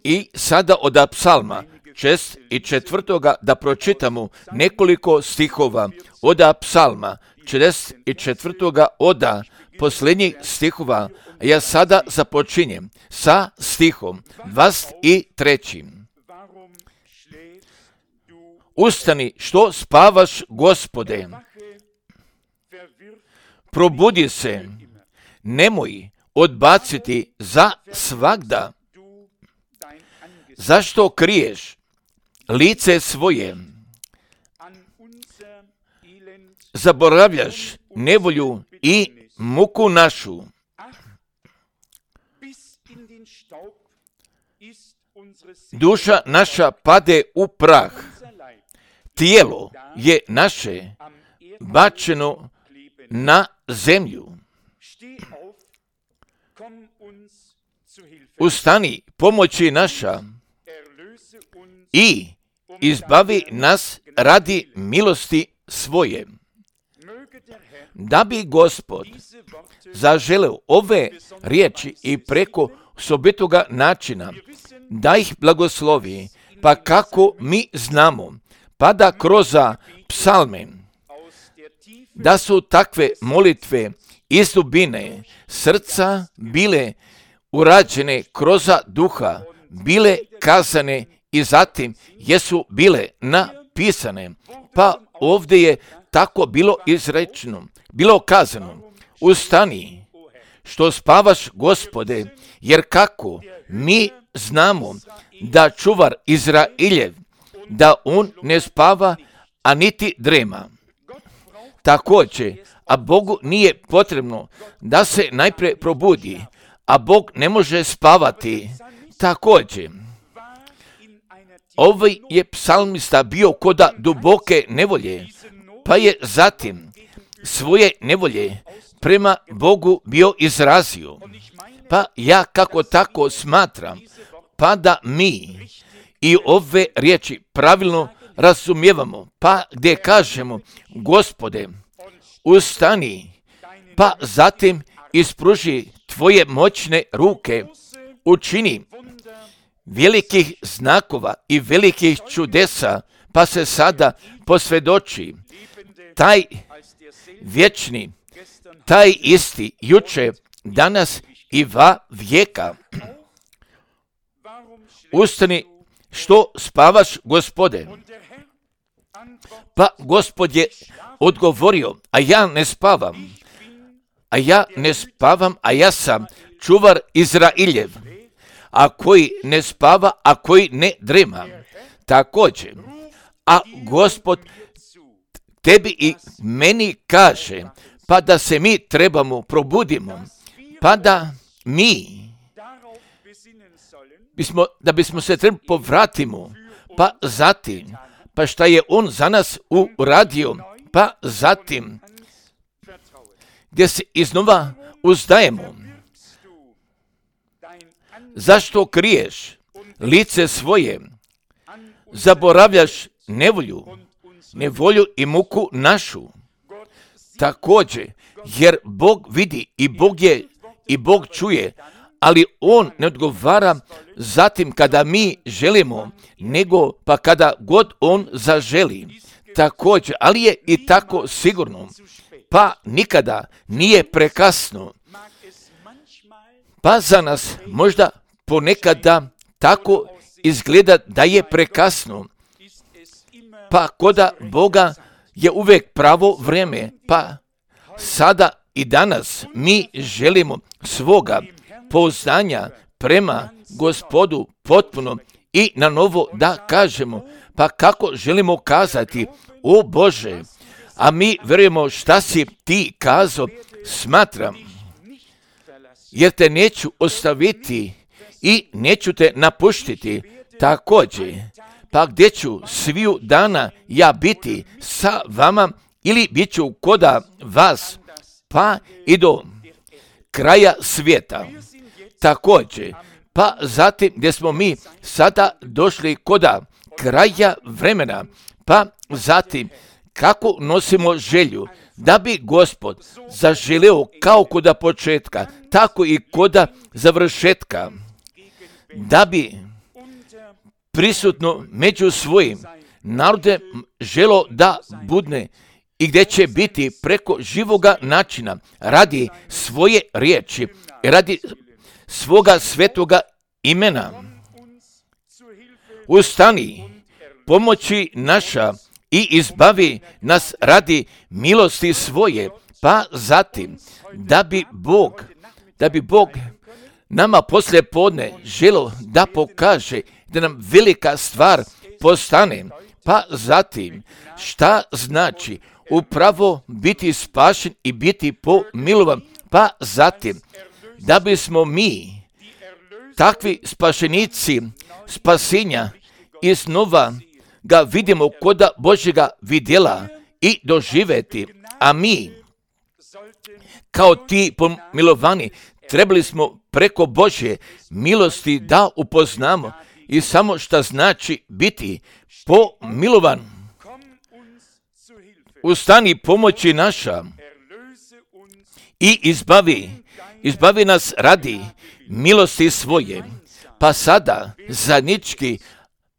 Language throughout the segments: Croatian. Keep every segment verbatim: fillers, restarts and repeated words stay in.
I sada od psalma šest i četvrtoga da pročitamo nekoliko stihova od psalma šest i četvrtoga od posljednjih stihova. Ja sada započinjem sa stihom dvadeset trećim. Ustani, što spavaš, Gospode, probudi se, nemoj odbaciti za svagda. Zašto kriješ lice svoje? Zaboravljaš nevolju i muku našu. Duša naša pade u prah, tijelo je naše bačeno na zemlju. Ustani, pomoći naša, i izbavi nas radi milosti svoje. Da bi Gospod zaželeo ove riječi i preko osobitoga načina da ih blagoslovi, pa kako mi znamo, pa da kroz psalme, da su takve molitve iz dubine srca bile urađene kroz duha, bile kazane i zatim jesu bile napisane. Pa ovdje je tako bilo izrečeno, bilo kazano, ustani, što spavaš, Gospode, jer kako mi znamo da čuvar Izrailjev, da on ne spava, a niti drema. Također, a Bogu nije potrebno da se najprije probudi, a Bog ne može spavati. Također, ovaj je psalmista bio koda duboke nevolje, pa je zatim svoje nevolje prema Bogu bio izrazio. Pa ja kako tako smatram, pa da mi i ove riječi pravilno razumijevamo, pa gdje kažemo, Gospode, ustani, pa zatim ispruži tvoje moćne ruke, učini velikih znakova i velikih čudesa, pa se sada posvjedoči taj vječni, taj isti juče, danas i va vijeka. Ustani, što spavaš, Gospode? Pa Gospod je odgovorio, a ja ne spavam, a ja ne spavam, a ja sam čuvar Izrailjev, a koji ne spava, a koji ne drema. Također, a Gospod tebi i meni kaže, pa da se mi trebamo probudimo, pa da mi bismo, da bismo se trebali povratimo, pa zatim, pa šta je on za nas uradio, pa zatim, gdje se iznova uzdajemo. Zašto kriješ lice svoje? Zaboravljaš nevolju, nevolju i muku našu. Također, jer Bog vidi i Bog je i Bog čuje, ali on ne odgovara zatim kada mi želimo, nego pa kada god on zaželi. Također, ali je i tako sigurno, pa nikada nije prekasno. Pa za nas možda ponekada tako izgleda da je prekasno. Pa koda Boga je uvijek pravo vrijeme, pa sada i danas mi želimo svoga pouzdanja prema Gospodu potpuno i na novo da kažemo, pa kako želimo kazati, o Bože, a mi vjerujemo šta si ti kazao, smatram, jer te neću ostaviti i neću te napuštiti. Također, pa gdje ću sviju dana ja biti sa vama ili bit ću koda vas, pa i do kraja svijeta. Također, pa zatim gdje smo mi sada došli koda kraja vremena, pa zatim kako nosimo želju da bi Gospod zaželeo kao koda početka, tako i koda završetka, da bi prisutno među svojim narodem želo da budne i gdje će biti preko živoga načina radi svoje riječi, radi svoga svetoga imena. Ustani, pomoći naša i izbavi nas radi milosti svoje, pa zatim da bi Bog, da bi Bog nama poslije podne želo da pokaže da nam velika stvar postane, pa zatim šta znači upravo biti spašen i biti pomilovan, pa zatim da bismo mi takvi spašenici spasenja iznova ga vidimo koda Božjega vidjela i doživeti, a mi kao ti pomilovani trebali smo preko Božje milosti da upoznamo i samo šta znači biti pomilovan. Ustani, pomoći naša i izbavi, izbavi nas radi milosti svoje. Pa sada zajednički,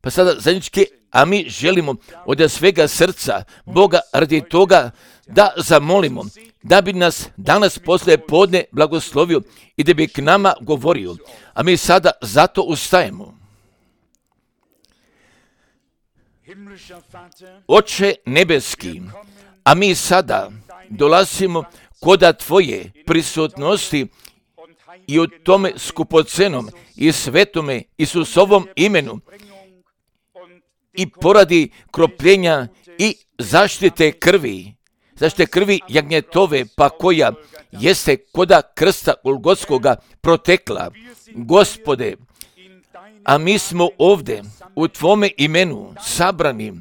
pa sada zajednički, a mi želimo od svega srca Boga radi toga da zamolimo, da bi nas danas poslije podne blagoslovio i da bi k nama govorio. A mi sada zato ustajemo. Oče nebeski, a mi sada dolazimo koda Tvoje prisutnosti i u tome skupocenom i svetome Isusovom imenu i poradi kropljenja i zaštite krvi, zaštite krvi jagnjetove, pa koja jeste koda krsta Golgotskoga protekla. Gospode, a mi smo ovdje u Tvome imenu sabrani,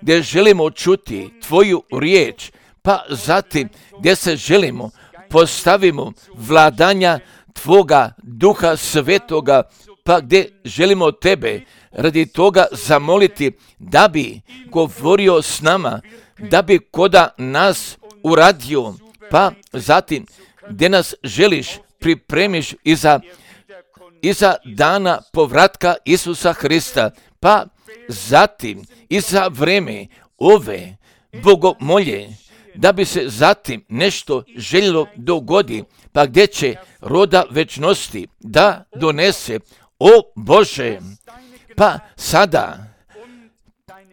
gdje želimo čuti Tvoju riječ, pa zatim gdje se želimo postavimo vladanja Tvoga Duha Svetoga, pa gdje želimo Tebe radi toga zamoliti da bi govorio s nama, da bi koda nas uradio, pa zatim gdje nas želiš pripremiš iza, iza dana povratka Isusa Hrista, pa zatim iza vreme ove bogomolje, da bi se zatim nešto željelo dogodi, pa gdje će roda večnosti da donese, o Bože, pa sada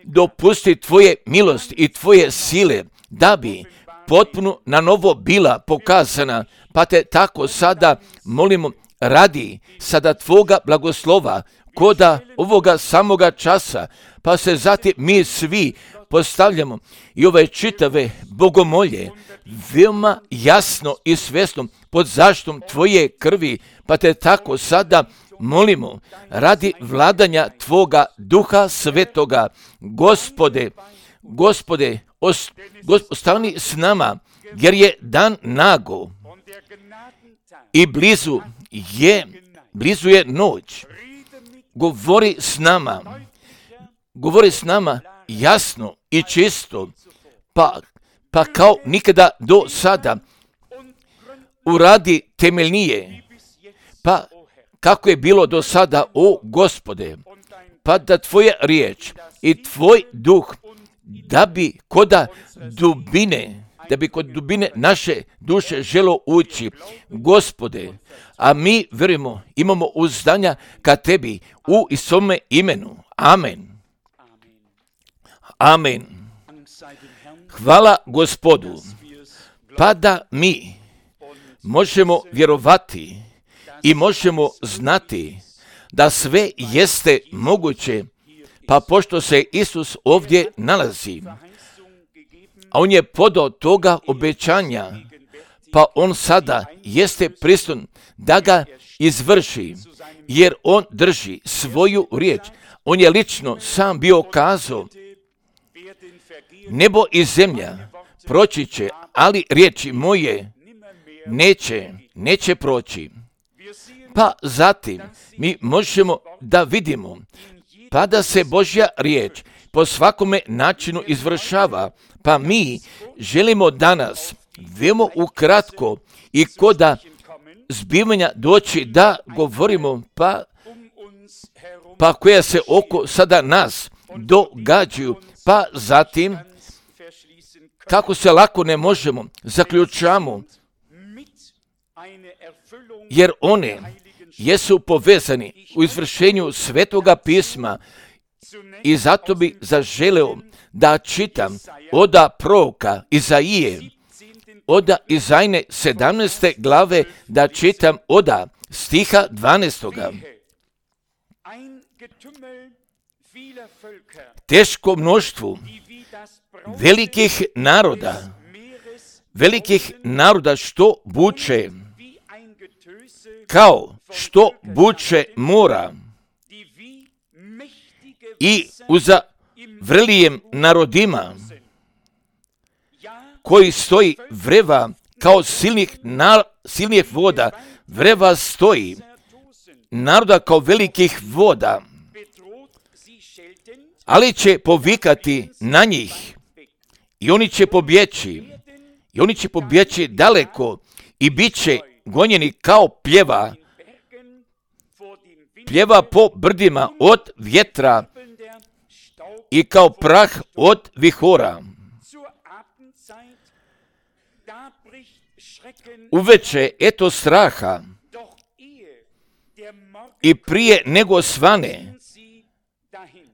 dopusti Tvoje milosti i Tvoje sile da bi potpuno na novo bila pokazana, pa te tako sada molimo radi sada Tvoga blagoslova koda ovoga samoga časa, pa se zatim mi svi postavljamo i ove čitave bogomolje veoma jasno i svjesno pod zaštitom Tvoje krvi, pa te tako sada molimo radi vladanja Tvoga Duha Svetoga. Gospode, Gospode, os, ostani s nama, jer je dan nago i blizu je, blizu je noć. Govori s nama, govori s nama jasno i čisto, pa, pa kao nikada do sada uradi temeljnije, pa kako je bilo do sada, o Gospode, pa da Tvoja riječ i Tvoj duh, da bi koda dubine, da bi kod dubine naše duše želo ući, Gospode, a mi vjerujemo, imamo uzdanja ka Tebi u Isome imenu. Amen. Amen. Hvala Gospodu, pa da mi možemo vjerovati i možemo znati da sve jeste moguće, pa pošto se Isus ovdje nalazi, a on je podao toga obećanja, pa on sada jeste prisutan da ga izvrši, jer on drži svoju riječ. On je lično sam bio kazao, nebo i zemlja proći će, ali riječi moje neće, neće proći. Pa zatim mi možemo da vidimo, pa da se Božja riječ po svakome načinu izvršava. Pa mi želimo danas veoma ukratko i koda zbivanja doći da govorimo pa, pa koja se oko sada nas događaju, pa zatim kako se lako ne možemo, zaključamo, jer one jesu povezani u izvršenju Svetoga pisma i zato bi zaželeo da čitam oda proroka Izaije, oda Izajne sedamnaeste glave, da čitam oda stiha dvanaestoga. Teško mnoštvu velikih naroda, velikih naroda što buče, kao što buče mora, i uza vrlijem narodima, koji stoji vreva kao silnih, na, silnih voda, vreva stoji, naroda kao velikih voda, ali će povikati na njih i oni će pobjeći, i oni će pobjeći daleko i bit će gonjeni kao pljeva, pljeva po brdima od vjetra i kao prah od vihora. Uveče eto straha i prije nego svane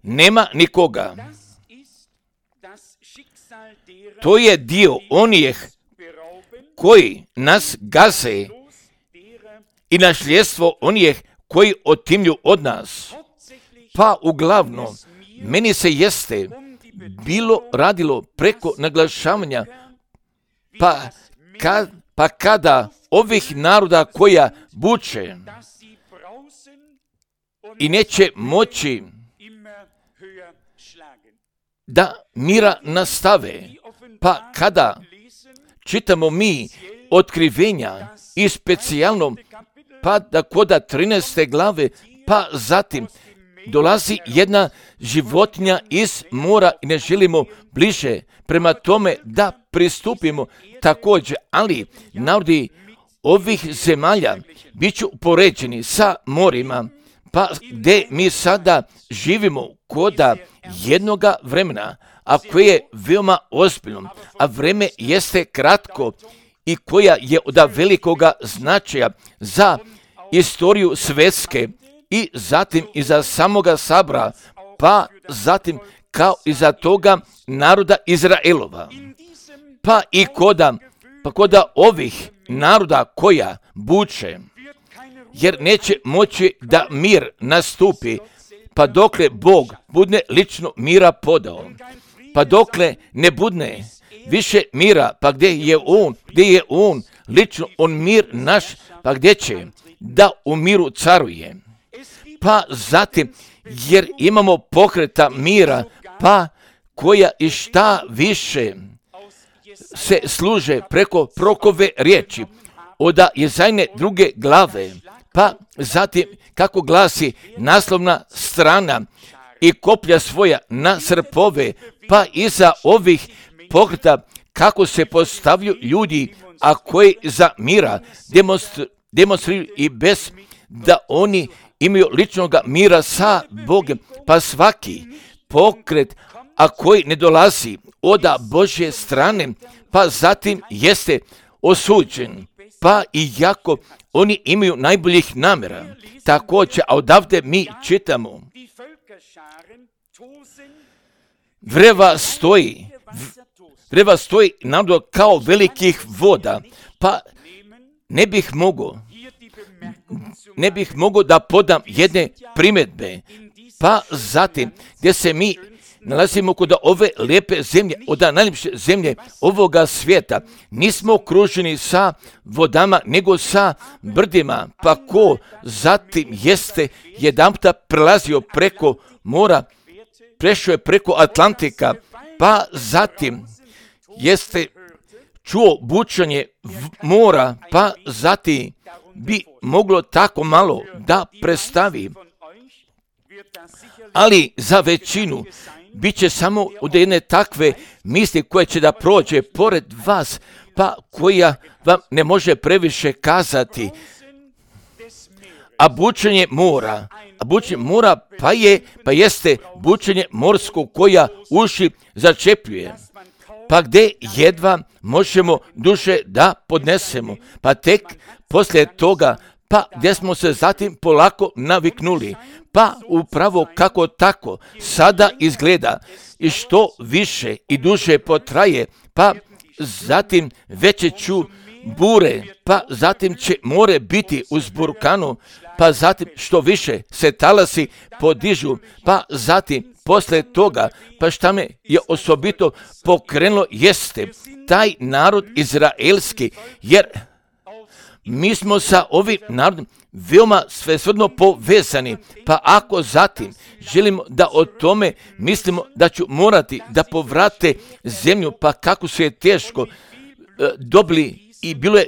nema nikoga. To je dio onih koji nas gaze i nasljedstvo onih koji otimlju od nas. Pa uglavnom, meni se jeste bilo radilo preko naglašavanja, pa, ka, pa kada ovih naroda koja buče i neće moći da mira nastave, pa kada čitamo mi otkrivenja i specijalno pa da koda trinaeste glave, pa zatim dolazi jedna životinja iz mora i ne želimo bliže prema tome da pristupimo također, ali narodi ovih zemalja bit će upoređeni sa morima, pa gdje mi sada živimo koda jednoga vremena, a koje je veoma ozbiljno, a vreme jeste kratko i koja je od velikoga značaja za istoriju svjetske i zatim i za samoga Sabora, pa zatim kao i za toga naroda Izraelova. Pa i koda, pa koda ovih naroda koja buče, jer neće moći da mir nastupi, pa dokle Bog budne lično mira podao, pa dokle ne budne više mira, pa gdje je On, gdje je On lično On mir naš, pa gdje će da u miru caruje. Pa zatim, jer imamo pokreta mira, pa koja i šta više se služe preko prokove riječi, oda Jezajne druge glave, pa zatim kako glasi naslovna strana, i koplja svoja na srpove, pa iza ovih pokreta kako se postavljaju ljudi, a koji za mira demonstr- demonstriraju i bez da oni imaju ličnog mira sa Bogom, pa svaki pokret, a koji ne dolazi od Božje strane, pa zatim jeste osuđen, pa i jako oni imaju najboljih namjera. Također, a odavde mi čitamo, vreva stoji, vreva stoji narod kao velikih voda, pa ne bih mogao, ne bih mogao da podam jedne primjedbe, pa zatim gdje se mi nalazimo kod ove lijepe zemlje, od najljepše zemlje ovoga svijeta, nismo okruženi sa vodama, nego sa brdima, pa ko zatim jeste jedanputa prelazio preko mora, prešao je preko Atlantika, pa zatim jeste čuo bučanje mora, pa zatim bi moglo tako malo da predstavi. Ali za većinu bit će samo od jedne takve misli koja će da prođe pored vas, pa koja vam ne može previše kazati. A bučenje mora, a bučenje mora pa je, pa jeste bučenje morsko koja uši začepljuje. Pa gdje jedva možemo duše da podnesemo, pa tek poslije toga, pa gdje smo se zatim polako naviknuli, pa upravo kako tako sada izgleda i što više i duže potraje, pa zatim veće ću bure, pa zatim će more biti uz burkanu, pa zatim što više se talasi podižu, pa zatim poslije toga, pa šta me je osobito pokrenulo jeste taj narod izraelski, jer mi smo sa ovim narodom veoma svesrdno povezani, pa ako zatim želimo da o tome mislimo da ću morati da povrate zemlju, pa kako se je teško e, dobili i bilo je,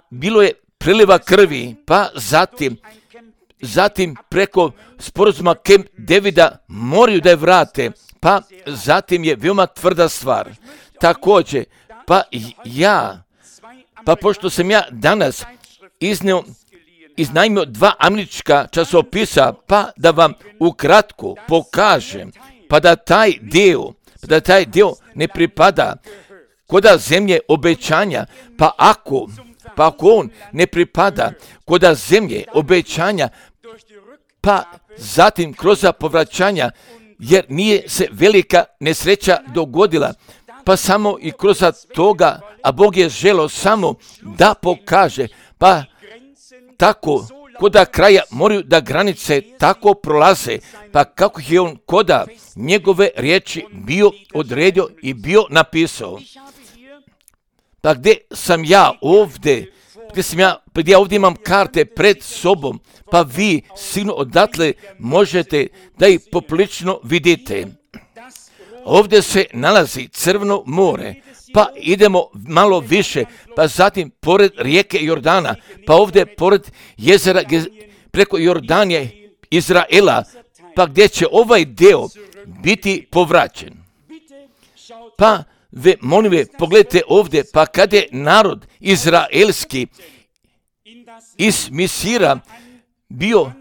bilo je priliva krvi, pa zatim, zatim preko sporazuma Camp Davida moraju da je vrate, pa zatim je veoma tvrda stvar. Također, pa ja, pa pošto sam ja danas iznio, iznajmio dva američka časopisa, pa da vam ukratko pokažem, pa da taj dio, pa da taj dio ne pripada koda zemlje obećanja, pa ako, pa ako on ne pripada koda zemlje obećanja, pa zatim kroz povraćanja, jer nije se velika nesreća dogodila, pa samo i kroz toga, a Bog je želeo samo da pokaže, pa tako koda kraja moraju da granice tako prolaze, pa kako je on koda njegove riječi bio odredio i bio napisao. Pa gdje sam ja ovdje, gdje sam ja, gdje ja ovdje imam karte pred sobom, pa vi sigurno odatle možete da ih poprilično vidite. Ovdje se nalazi Crveno more, pa idemo malo više, pa zatim pored rijeke Jordana, pa ovdje pored jezera preko Jordanije Izraela, pa gdje će ovaj deo biti povraćen. Pa ve, molim ve, pogledajte ovdje, pa kad je narod izraelski iz Misira bio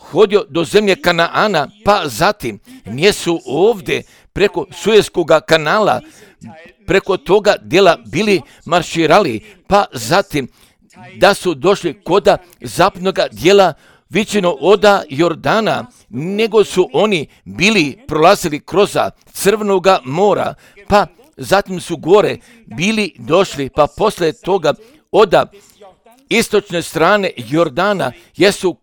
hodio do zemlje Kanaana, pa zatim nisu ovdje preko Suezskog kanala, preko toga dijela bili marširali, pa zatim da su došli koda zapadnog dijela vićeno oda Jordana, nego su oni bili prolazili kroz Crvenog mora, pa zatim su gore bili došli, pa poslije toga oda istočne strane Jordana jesu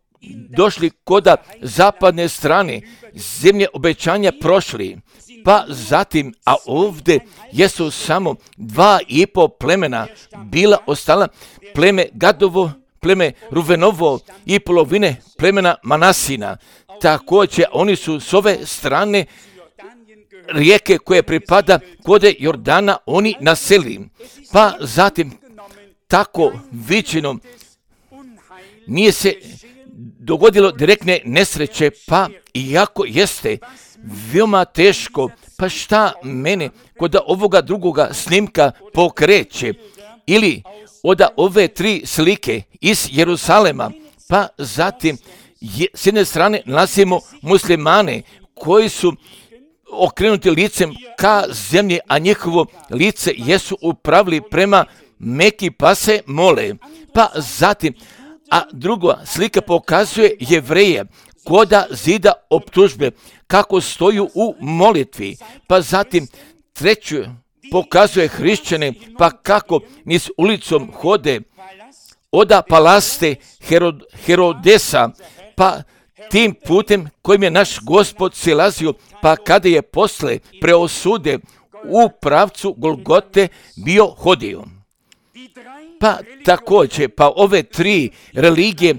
došli koda zapadne strane zemlje obećanja prošli, pa zatim, a ovdje jesu samo dva i po plemena bila ostala, pleme Gadovo, pleme Ruvenovo i polovine plemena Manasina. Također oni su s ove strane rijeke koje pripada kode Jordana oni naseli, pa zatim tako vićeno nije se dogodilo direktne nesreće, pa iako jeste veoma teško, pa šta mene kod ovoga drugoga snimka pokreće, ili od ove tri slike iz Jerusalema, pa zatim je, s jedne strane nalazimo muslimane koji su okrenuti licem ka zemlji, a njihovo lice jesu upravili prema Meki, pa se mole, pa zatim, a druga slika pokazuje Jevreje koda zida optužbe, kako stoju u molitvi, pa zatim treću pokazuje hrišćane, pa kako niz ulicom hode oda palaste Herod, Herodesa, pa tim putem kojim je naš Gospod silazio, pa kada je posle preosude u pravcu Golgote bio hodio. Pa također, pa ove tri religije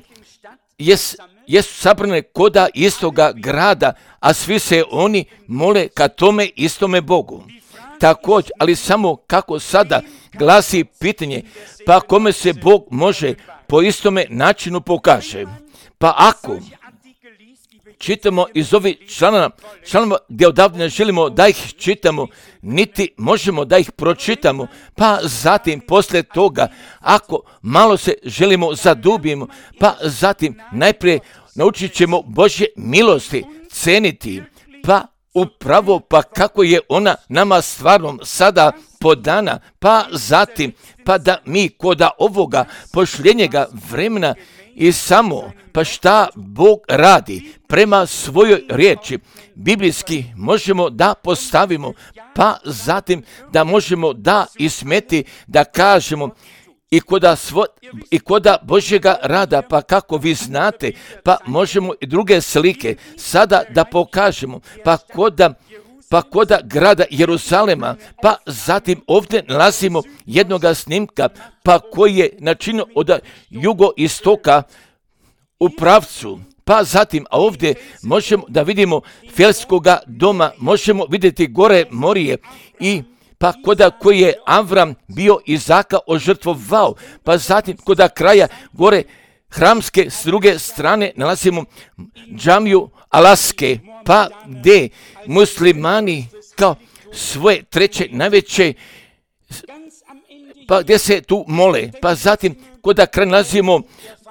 jes, jesu sabrane koda istoga grada, a svi se oni mole ka tome istome Bogu. Također, ali samo kako sada glasi pitanje, pa kome se Bog može po istome načinu pokaže. Pa ako, čitamo iz ovih članova, članova gdje odavde ne želimo da ih čitamo, niti možemo da ih pročitamo, pa zatim poslije toga, ako malo se želimo zadubimo, pa zatim najprije naučit ćemo Božje milosti ceniti, pa upravo pa kako je ona nama stvarno sada podana, pa zatim, pa da mi koda ovoga pošljenjega vremena i samo, pa šta Bog radi prema svojoj riječi, biblijski možemo da postavimo, pa zatim da možemo da ismeti, da kažemo, I koda, svo, i koda Božjega rada, pa kako vi znate, pa možemo i druge slike sada da pokažemo, pa koda, pa koda grada Jeruzalema, pa zatim ovdje nalazimo jednoga snimka, pa koji je načinio od jugoistoka u pravcu. Pa zatim, a ovdje možemo da vidimo Felskoga doma, možemo vidjeti gore Morije i pa koda koji je Avram bio Izaka ožrtvovao, pa zatim koda kraja gore hramske s druge strane nalazimo džamiju Alaske, pa gdje muslimani kao svoje treće najveće, pa gdje se tu mole, pa zatim koda kraj nalazimo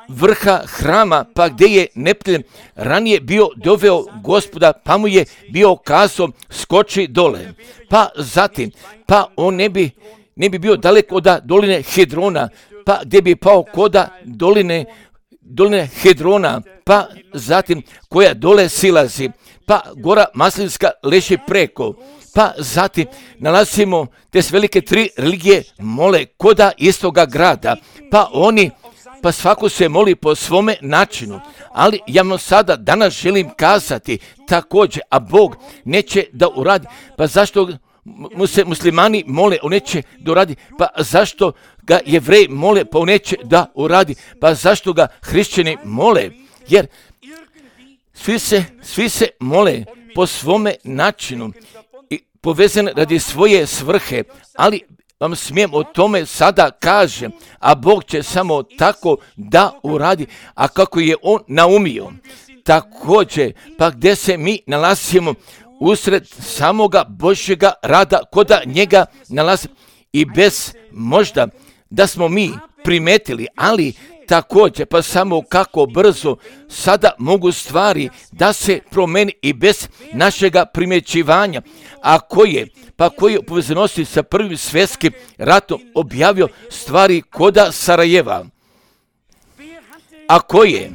vrha hrama, pa gdje je Neptun ranije bio doveo Gospoda, pa mu je bio kazao skoči dole. Pa zatim, pa on ne bi, ne bi bio daleko od doline Hedrona, pa gdje bi pao koda doline, doline Hedrona, pa zatim koja dole silazi, pa gora Maslinska leži preko. Pa zatim nalazimo te velike tri religije mole koda istoga grada, pa oni pa svako se moli po svome načinu, ali ja vam sada danas želim kazati također, a Bog neće da uradi, pa zašto mu se muslimani mole, on neće da uradi, pa zašto ga Jevreji mole, pa on neće da uradi, pa zašto ga hrišćani mole, jer svi se, svi se mole po svome načinu i povezane radi svoje svrhe, ali vam smijem o tome sada kažem, a Bog će samo tako da uradi, a kako je on naumio. Također, pa gdje se mi nalazimo usred samoga Božjega rada, koda njega nalazi i bez možda da smo mi primetili, ali također, pa samo kako brzo sada mogu stvari da se promeni i bez našega primjećivanja, a koje, pa koji je u povezanosti sa prvim svjetskim ratom objavio stvari koda Sarajeva, a koji je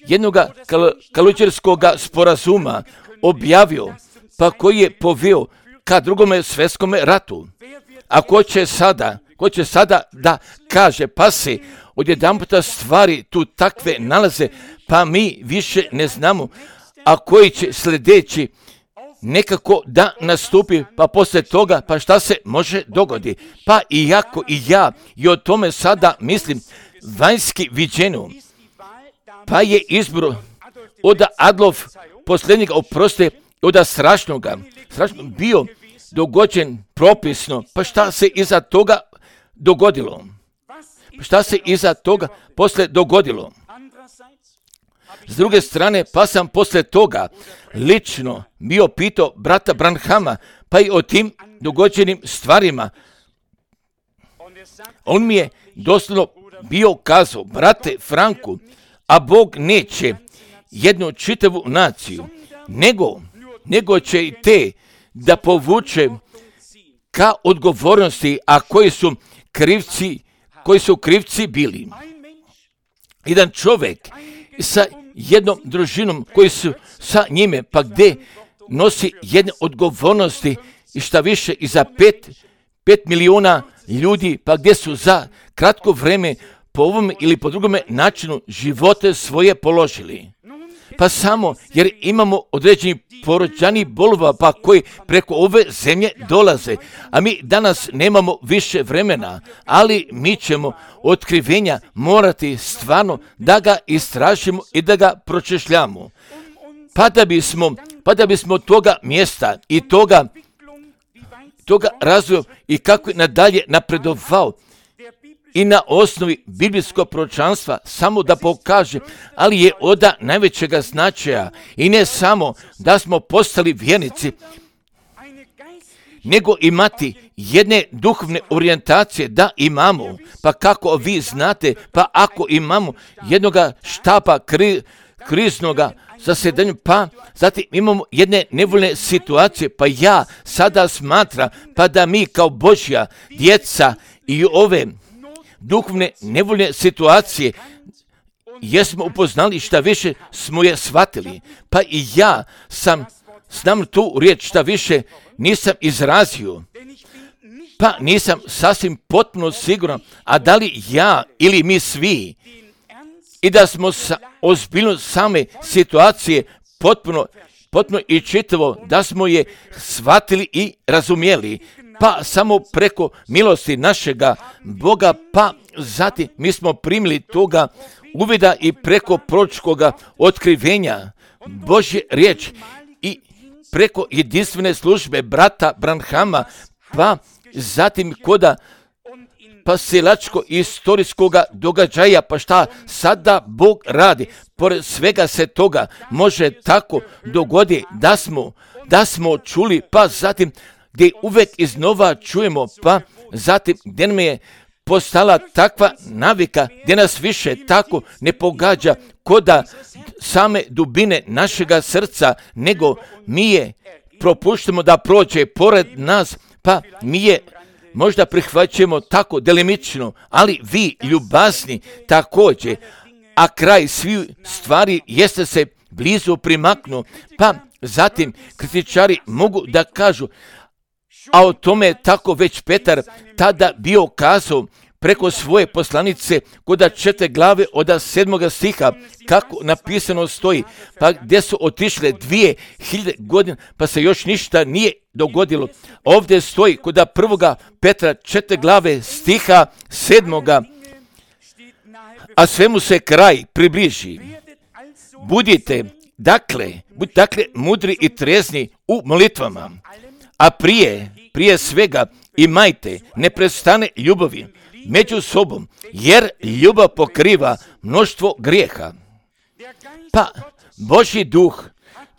jednoga kal- kaluđerskog sporazuma objavio, pa koji je poveo ka drugome svjetskom ratu, a ko će sada, ko će sada da kaže, pa se odjedanputa stvari tu takve nalaze, pa mi više ne znamo, a koji će sljedeći nekako da nastupi, pa poslije toga, pa šta se može dogoditi. Pa iako i ja i o tome sada mislim vanjski viđeno, pa je izbor od Adolf posljednjega, oproste, od strašnoga, strašno bio dogođen propisno, pa šta se iza toga dogodilo? Šta se iza toga poslije dogodilo? S druge strane, pa sam poslije toga lično bio pitao brata Branhama, pa i o tim dogođenim stvarima. On mi je doslovno bio kazao, brate Franku, a Bog neće jednu čitavu naciju, nego, nego će i te da povuče ka odgovornosti, a koji su krivci, koji su krivci bili. Jedan čovjek sa jednom družinom koji su sa njime, pa gdje nosi jedne odgovornosti i šta više i za pet, pet milijuna ljudi, pa gdje su za kratko vreme po ovom ili po drugome načinu živote svoje položili. Pa samo jer imamo određeni porođani bolova, pa koji preko ove zemlje dolaze, a mi danas nemamo više vremena, ali mi ćemo otkrivenja morati stvarno da ga istražimo i da ga pročešljamo. Pa da bismo, pa da bismo toga mjesta i toga, toga razvoja i kako je nadalje napredovao, i na osnovi biblijskog proročanstva samo da pokaže, ali je od najvećega značaja i ne samo da smo postali vjernici, nego imati jedne duhovne orijentacije da imamo. Pa kako vi znate, pa ako imamo jednoga štapa kri, kriznoga zasjedanja, pa zatim imamo jedne nevoljne situacije, pa ja sada smatram, pa da mi kao Božja djeca i ove duhovne nevoljne situacije jesmo upoznali, šta više smo je shvatili. Pa i ja sam znam tu riječ, šta više nisam izrazio, pa nisam sasvim potpuno siguran, a da li ja ili mi svi, i da smo sa ozbiljnost same situacije potpuno, potpuno i čitavo, da smo je shvatili i razumjeli, pa samo preko milosti našega Boga, pa zatim mi smo primili toga uvida i preko proročkoga otkrivenja Božje riječ i preko jedinstvene službe brata Branhama, pa zatim koda pa silačko istorijskoga događaja, pa šta sada Bog radi. Pored svega se toga može tako dogodi da smo, da smo čuli, pa zatim gdje uvek iznova čujemo, pa zatim gdje nam je postala takva navika, gdje nas više tako ne pogađa koda same dubine našega srca, nego mi je propuštamo da prođe pored nas, pa mi je možda prihvaćamo tako delimično, ali vi ljubazni također, a kraj svih stvari jeste se blizu primaknu, pa zatim kritičari mogu da kažu, a o tome je tako već Petar tada bio kazao preko svoje poslanice koda četiri glave od sedmoga stiha, kako napisano stoji, pa gdje su otišle dvije hiljade godina, pa se još ništa nije dogodilo. Ovdje stoji koda prvoga Petra četiri glave stiha sedmoga, a svemu se kraj približi. Budite, dakle, budite dakle mudri i trezni u molitvama, a prije, prije svega imajte neprestane ljubavi među sobom, jer ljubav pokriva mnoštvo grijeha. Pa Božji duh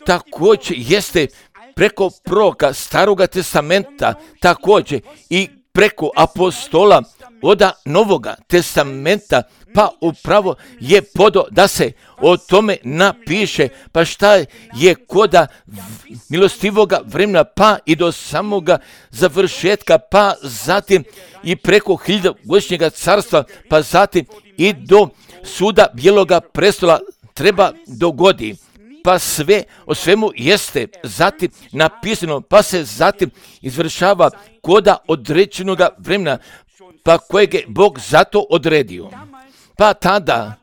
također jeste preko proroka Staroga testamenta, također i preko apostola od Novoga testamenta, pa upravo je podo da se o tome napiše, pa šta je koda milostivoga vremena, pa i do samoga završetka, pa zatim i preko hiljadogodišnjega carstva, pa zatim i do suda bijeloga prestola treba dogodi. Pa sve o svemu jeste zatim napisano, pa se zatim izvršava koda određenoga vremena, pa kojeg je Bog zato odredio. Pa tada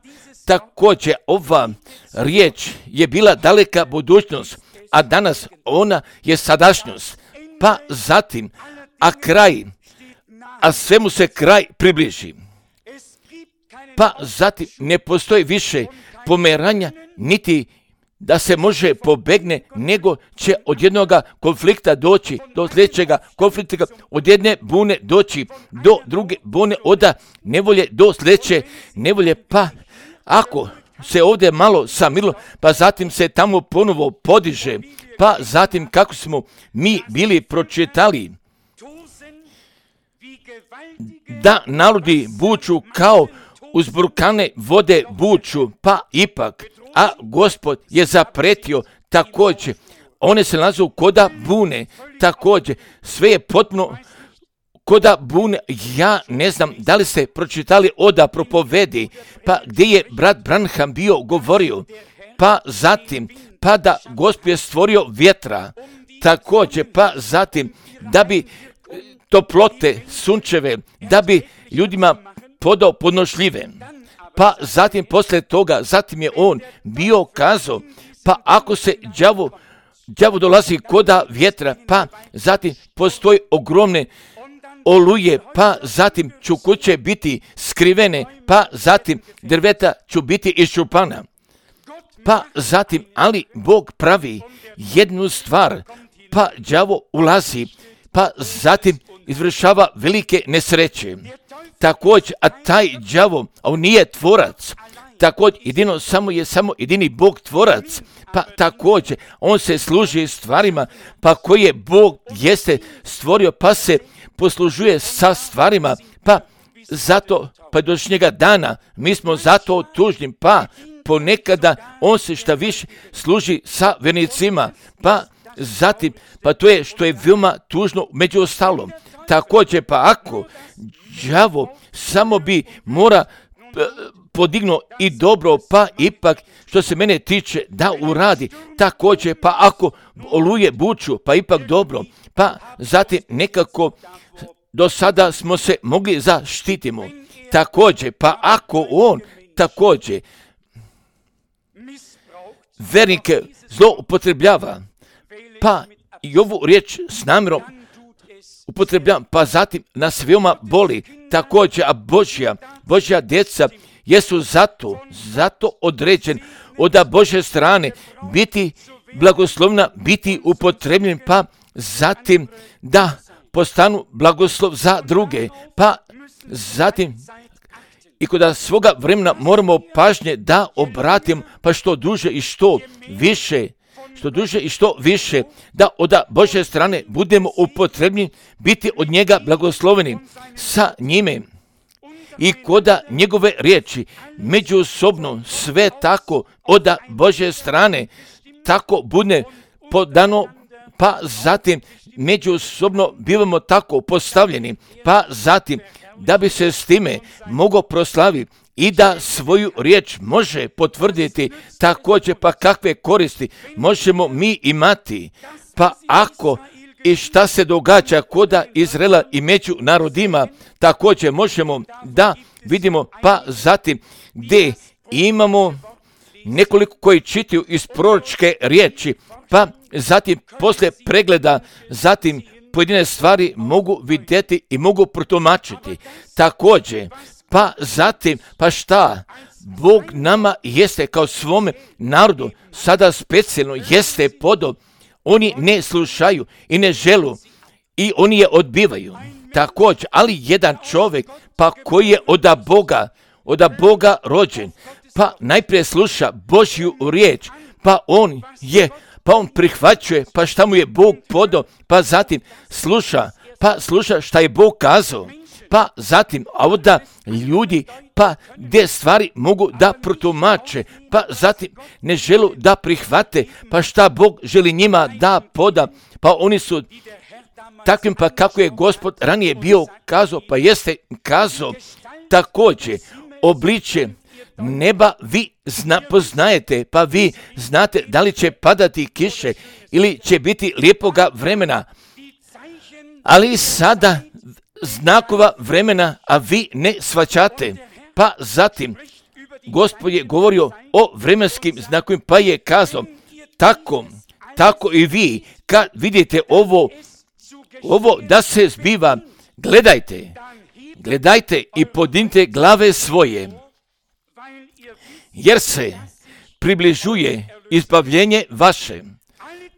također ova riječ je bila daleka budućnost, a danas ona je sadašnjost. Pa zatim, a kraj, a svemu se kraj približi. Pa zatim ne postoji više pomeranja, niti da se može pobegne, nego će od jednoga konflikta doći do sljedećega konflikta, od jedne bune doći do druge bune, od nevolje do sljedeće nevolje. Pa ako se ovdje malo samirilo, pa zatim se tamo ponovo podiže, pa zatim kako smo mi bili pročitali da narodi buču kao uzburkane vode buču, pa ipak, a Gospod je zapretio također, one se nalaze koda bune, također, sve je potpuno koda bune. Ja ne znam da li ste pročitali oda propovedi, pa gdje je brat Branham bio govorio, pa zatim, pa da Gospod je stvorio vjetra, također, pa zatim, da bi toplote sunčeve, da bi ljudima podao podnošljive. Pa zatim poslije toga, zatim je on bio kazao, pa ako se đavo, đavo dolazi koda vjetra, pa zatim postoji ogromne oluje, pa zatim ću kuće biti skrivene, pa zatim drveta ću biti iščupana. Pa zatim, ali Bog pravi jednu stvar, pa đavo ulazi, pa zatim izvršava velike nesreće. također, a taj đavo, a on nije tvorac, također, jedino samo je samo jedini Bog tvorac, pa također, on se služi stvarima, pa koje Bog jeste stvorio, pa se poslužuje sa stvarima, pa zato, pa do njega dana, mi smo zato tužni, pa ponekada on se šta više služi sa vernicima, pa zatim, pa to je što je veoma tužno među ostalom. Također, pa ako đavo samo bi mora podignuo i dobro, pa ipak što se mene tiče da uradi, također, pa ako oluje buču, pa ipak dobro, pa zatim nekako do sada smo se mogli zaštitimo. Također, pa ako on također vernike zloupotrebljava, pa i ovu riječ s namjerom upotrebljavam, pa zatim nas veoma boli, također, a Božja, Božja djeca jesu zato, zato određen od Božje strane biti blagoslovna, biti upotrebljen, pa zatim da postanu blagoslov za druge, pa zatim i kod svoga vremena moramo pažnje da obratim, pa što duže i što više, što duže i što više, da od Božje strane budemo upotrebni, biti od njega blagosloveni sa njime. I koda njegove riječi međusobno sve tako od Božje strane tako bude podano, pa zatim međusobno bivamo tako postavljeni, pa zatim da bi se s time mogao proslaviti i da svoju riječ može potvrditi, također pa kakve koristi možemo mi imati, pa ako i šta se događa koda Izraela i među narodima, također možemo da vidimo, pa zatim gdje imamo nekoliko koji čitaju iz proročke riječi, pa zatim poslije pregleda, zatim pojedine stvari mogu vidjeti i mogu protumačiti. Također, pa zatim, pa šta? Bog nama jeste kao svome narodu sada specijalno jeste podao. Oni ne slušaju i ne želu i oni je odbivaju. Također, ali jedan čovjek, pa koji je od Boga, od Boga rođen, pa najprije sluša Božju riječ, pa on je, pa on prihvaćuje, pa šta mu je Bog podao, pa zatim sluša, pa sluša šta je Bog kazao, pa zatim, a onda ljudi, pa gdje stvari mogu da protumače, pa zatim ne želu da prihvate, pa šta Bog želi njima da poda, pa oni su takvim, pa kako je Gospod ranije bio kazao, pa jeste kazao, također obličje neba vi zna, poznajete, pa vi znate da li će padati kiše ili će biti lijepoga vremena, ali sada znakova vremena, a vi ne shvaćate. Pa zatim Gospod je govorio o vremenskim znakovima, pa je kazao, tako, tako i vi, kad vidite ovo, ovo da se zbiva, gledajte, gledajte i podignite glave svoje, jer se približuje izbavljenje vaše.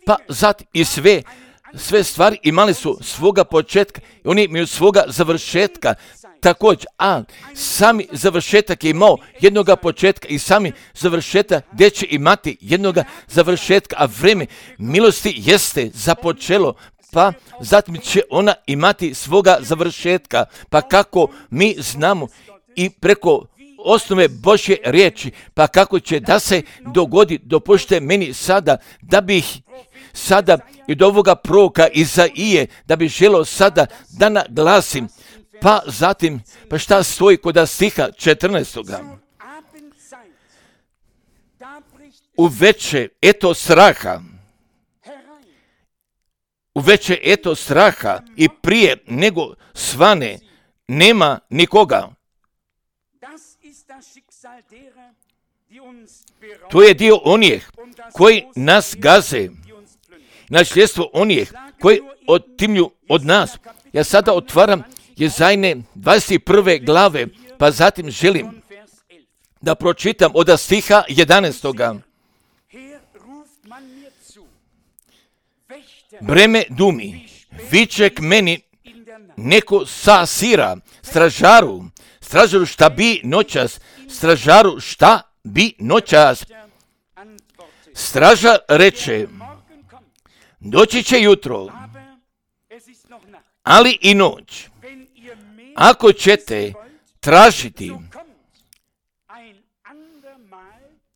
Pa zatim i sve, sve stvari imali su svoga početka i oni imaju svoga završetka. Također, a sami završetak je imao jednoga početka i sami završetak gdje će imati jednoga završetka, a vreme milosti jeste započelo, pa zatim će ona imati svoga završetka. Pa kako mi znamo i preko osnove Božje riječi, pa kako će da se dogodi, dopušte meni sada da bih sada i do ovoga proroka Izaije, da bih želio sada da naglasim, pa zatim, pa šta stoji kod stiha četrnaestoga. U veće eto straha, u veće eto straha i prije nego svane nema nikoga. To je dio onih koji nas gaze, nasljedstvo onih koji otimlju od nas. Ja sada otvaram Jezajne dvadeset prve glave, pa zatim želim da pročitam od stiha jedanaestoga. Breme dumi, viče k meni neko sasira stražaru, stražaru šta bi noćas, stražaru šta bi noćas. Stražar reče, doći će jutro, ali i noć. Ako ćete tražiti,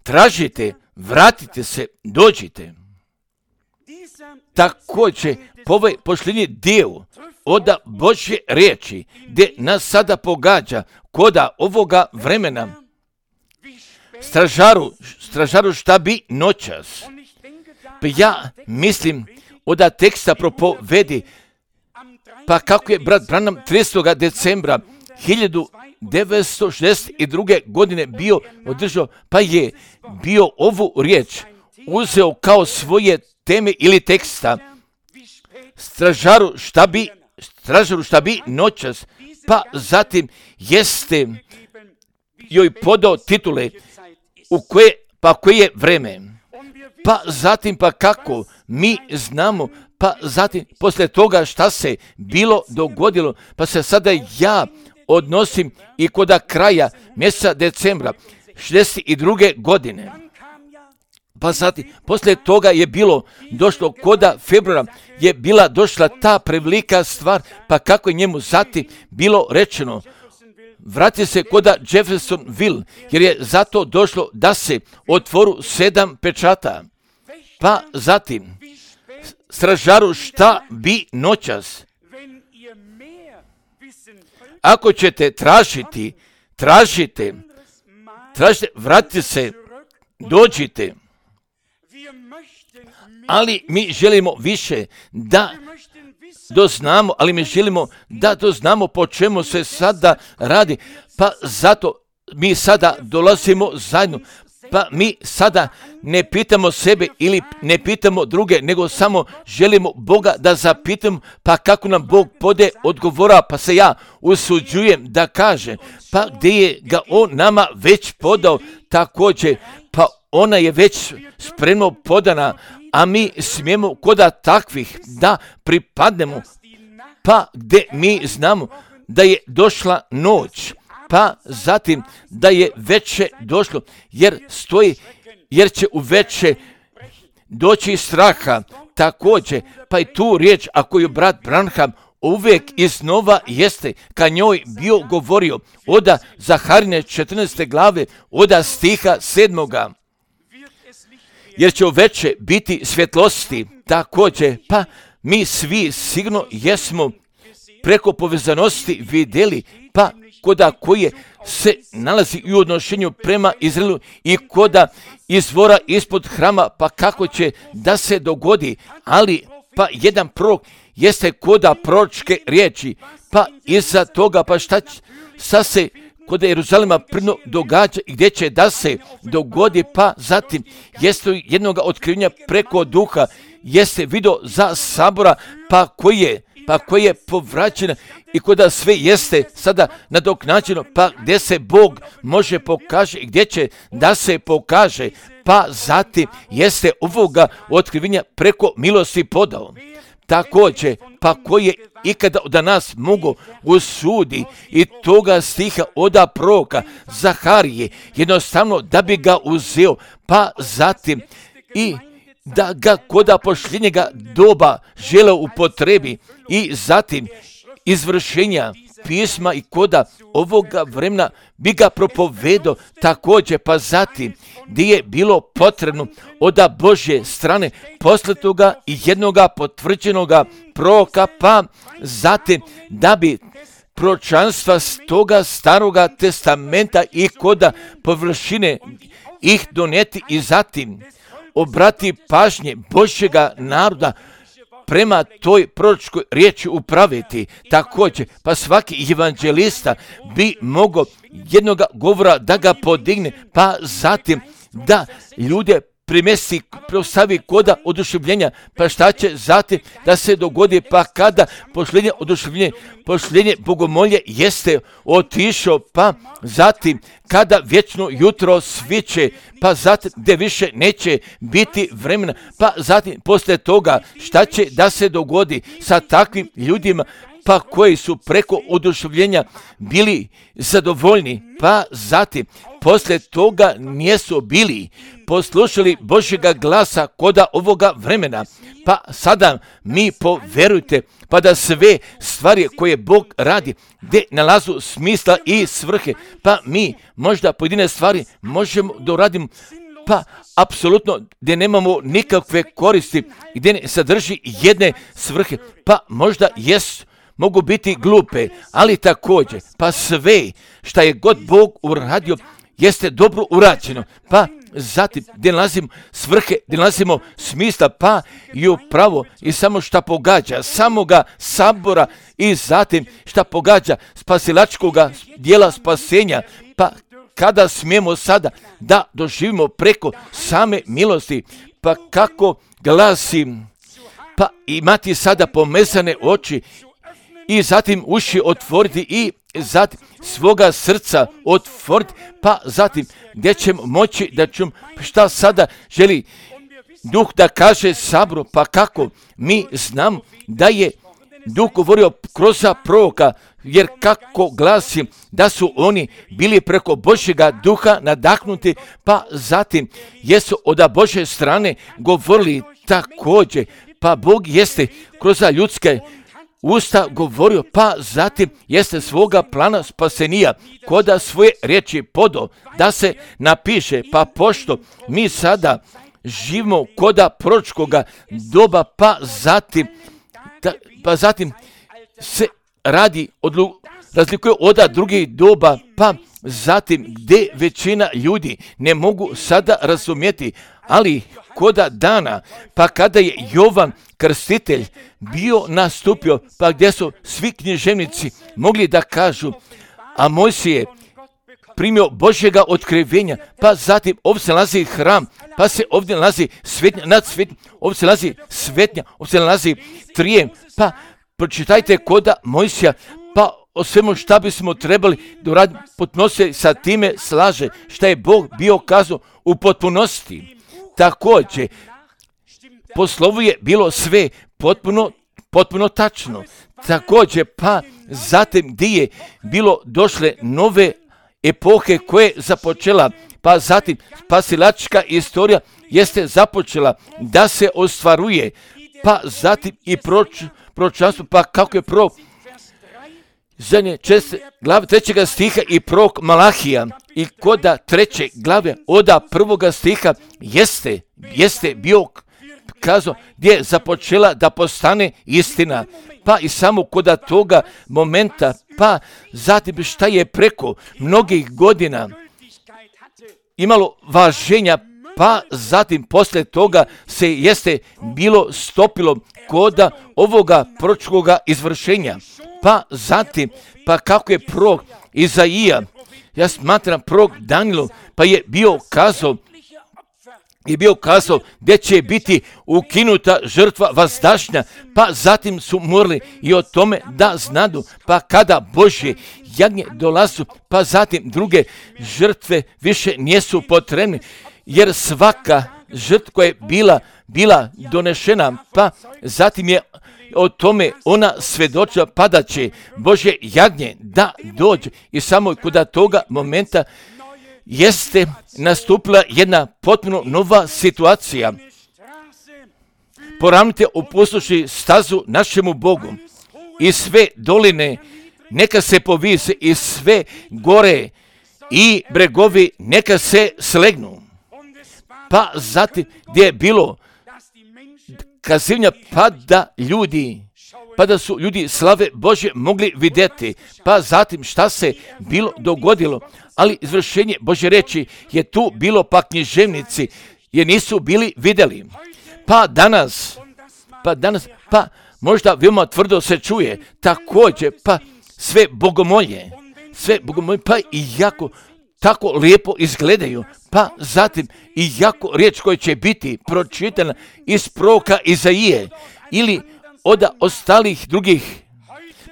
tražite, vratite se, dođite. Također, ovaj posljednji dio od Božje riječi, gdje nas sada pogađa koda ovoga vremena, stražaru, stražaru šta bi noćas. Pa ja mislim od teksta propovedi, pa kako je brat Branham tridesetog decembra hiljadu devetsto šezdeset druge. godine bio održao, pa je bio ovu riječ uzeo kao svoje teme ili teksta. Stražaru šta bi, stražaru šta bi noćas, pa zatim jeste joj podao titule u koje, pa koje je vreme. Pa zatim pa kako mi znamo, pa zatim poslije toga šta se bilo dogodilo, pa se sada ja odnosim i kod kraja mjeseca decembra šezdeset druge. godine. Pa zatim, poslije toga je bilo došlo koda februara, je bila došla ta prevelika stvar, pa kako je njemu zatim bilo rečeno, vrati se koda Jeffersonville, jer je zato došlo da se otvoru sedam pečata. Pa zatim, stražaru šta bi noćas. Ako ćete tražiti, tražite, tražite, vratite se, dođite. Ali mi želimo više da doznamo, ali mi želimo da doznamo po čemu se sada radi. Pa zato mi sada dolazimo zajedno. Pa mi sada ne pitamo sebe ili ne pitamo druge, nego samo želimo Boga da zapitamo, pa kako nam Bog pode odgovora, pa se ja usuđujem da kaže, pa gdje je ga On nama već podao također, pa ona je već spremno podana, a mi smijemo koda takvih da pripadnemo, pa gdje mi znamo da je došla noć, pa zatim da je veće došlo, jer stoji, jer će u veće doći straha, također, pa i tu riječ, ako je brat Branham uvijek iznova jeste, ka njoj bio govorio, oda Zaharine četrnaeste glave, oda stiha sedmoga, jer će u veće biti svjetlosti, također, pa mi svi sigurno jesmo preko povezanosti vidjeli, pa koda koje se nalazi u odnošenju prema Izraelu i koda izvora ispod hrama, pa kako će da se dogodi, ali pa jedan prorok jeste koda proročke riječi, pa iza toga pa šta, šta se kod Jeruzalema prno događa i gdje će da se dogodi, pa zatim jeste jednoga otkrivenja preko duha, jeste video za sabora, pa koji je pa koje je povraćena i koda sve jeste sada nadoknađeno, pa gdje se Bog može pokaže i gdje će da se pokaže, pa zatim jeste ovoga otkrivenja preko milosti podao. Također, pa koje ikada od nas mogu usudi i toga stiha oda proroka Zaharije, jednostavno da bi ga uzeo, pa zatim i da ga koda posljednjega doba žele upotrebi i zatim izvršenja pisma i koda ovoga vremena bi ga propovedao također, pa zatim gdje je bilo potrebno od Božje strane poslatoga i jednoga potvrđenoga proroka, pa zatim da bi proročanstva s toga staroga testamenta i koda površine ih donijeti i zatim obrati pažnje Božjega naroda prema toj proročkoj riječi upraviti. Također, pa svaki evanđelista bi mogao jednoga govora da ga podigne, pa zatim da ljude primesti, postavi koda oduševljenja, pa šta će zatim da se dogodi, pa kada posljednje oduševljenje, posljednje bogomolje jeste otišao, pa zatim kada vječno jutro sviće, pa zatim gdje više neće biti vremena, pa zatim poslije toga šta će da se dogodi sa takvim ljudima, pa koji su preko oduševljenja bili zadovoljni, pa zatim poslije toga nisu bili poslušali Božjega glasa koda ovoga vremena. Pa sada mi poverujte, pa da sve stvari koje Bog radi, gdje nalazu smisla i svrhe, pa mi možda pojedine stvari možemo da uradimo, pa apsolutno gdje nemamo nikakve koristi, gdje ne sadrži jedne svrhe, pa možda jesu, mogu biti glupe, ali također, pa sve šta je god Bog uradio, jeste dobro urađeno, pa zatim gdje nalazimo svrhe, gdje nalazimo smisla, pa i upravo i samo šta pogađa samoga sabora i zatim šta pogađa spasilačkoga dijela spasenja, pa kada smijemo sada da doživimo preko same milosti, pa kako glasi, pa imati sada pomezane oči i zatim uši otvoriti i zatim svoga srca otvoriti, pa zatim gdje ćemo moći da ćemo šta sada želi Duh da kaže saboru, pa kako mi znam da je Duh govorio kroz proroka, jer kako glasi da su oni bili preko Božjega duha nadahnuti, pa zatim jesu od Božje strane govorili također, pa Bog jeste kroz ljudske usta govorio, pa zatim jeste svoga plana spasenija koda svoje riječi podo da se napiše, pa pošto mi sada živimo koda proročkoga doba, pa zatim da, pa zatim se radi odlu, razlikuje od drugih doba, pa zatim gdje većina ljudi ne mogu sada razumjeti, ali koda dana, pa kada je Jovan Krstitelj bio nastupio, pa gdje su svi književnici mogli da kažu, a Mojsije primio Božjega otkrivenja, pa zatim ovdje se nalazi hram, pa se ovdje nalazi svetnja nad svetnjom, ovdje se nalazi svetnja, ovdje se nalazi trijem, pa pročitajte koda Mojsija, pa o svemu šta bismo trebali da uradimo, potpuno se sa time slaže šta je Bog bio kazao u potpunosti. Također, po slovu je bilo sve potpuno, potpuno tačno. Također, pa zatim gdje je bilo došle nove epohe koje je započela, pa zatim spasilačka istorija jeste započela da se ostvaruje, pa zatim i proč, proročanstvo, pa kako je prorok zadnje česte glave trećega stiha i prorok Malahija i koda treće glave oda prvoga stiha jeste, jeste bio kazao gdje je započela da postane istina, pa i samo koda toga momenta, pa zatim šta je preko mnogih godina imalo važenja, pa zatim poslije toga se jeste bilo stopilo koda ovoga proročkoga izvršenja, pa zatim, pa kako je prorok Izaija, ja smatram prorok Danilo, pa je bio kazao, je bio kazao gdje će biti ukinuta žrtva vazdašnja, pa zatim su morali i o tome da znadu, pa kada Božje jagnje dolazu, pa zatim druge žrtve više nisu potrebne, jer svaka žrtva koja je bila, bila donešena, pa zatim je o tome ona svjedočila, pa da će Božje jagnje da dođe i samo kod toga momenta jeste nastupila jedna potpuno nova situacija. Poravnite opustoši stazu našemu Bogu i sve doline neka se povise i sve gore i bregovi neka se slegnu. Pa zatim gdje je bilo kazivnja, pa da ljudi, pa da su ljudi slave Božje mogli vidjeti, pa zatim šta se bilo dogodilo, ali izvršenje Božje reči je tu bilo, pa književnici je nisu bili vidjeli. Pa danas, pa danas, pa možda veoma tvrdo se čuje, također, pa sve bogomolje, sve bogomolje, pa i jako tako lijepo izgledaju, pa zatim i jako riječ koja će biti pročitana iz proroka Izaije ili od ostalih drugih,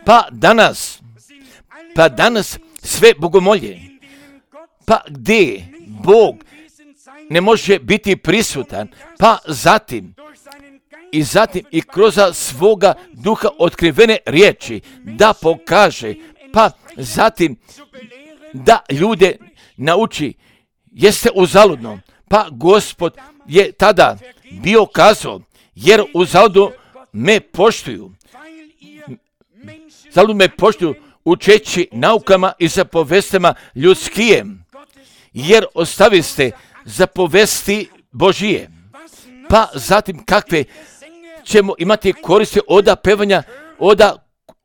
pa danas, pa danas sve bogomolje, pa gdje Bog ne može biti prisutan, pa zatim i zatim i kroz svoga duha otkrivene riječi da pokaže, pa zatim da ljude nauči, jeste uzaludno. Pa Gospod je tada bio kazao, jer uzaludno me poštuju. Zaludno me poštuju učeći naukama i zapovestima ljudskim, jer ostaviste zapovesti Božije. Pa zatim kakve ćemo imati koristi od pevanja, od,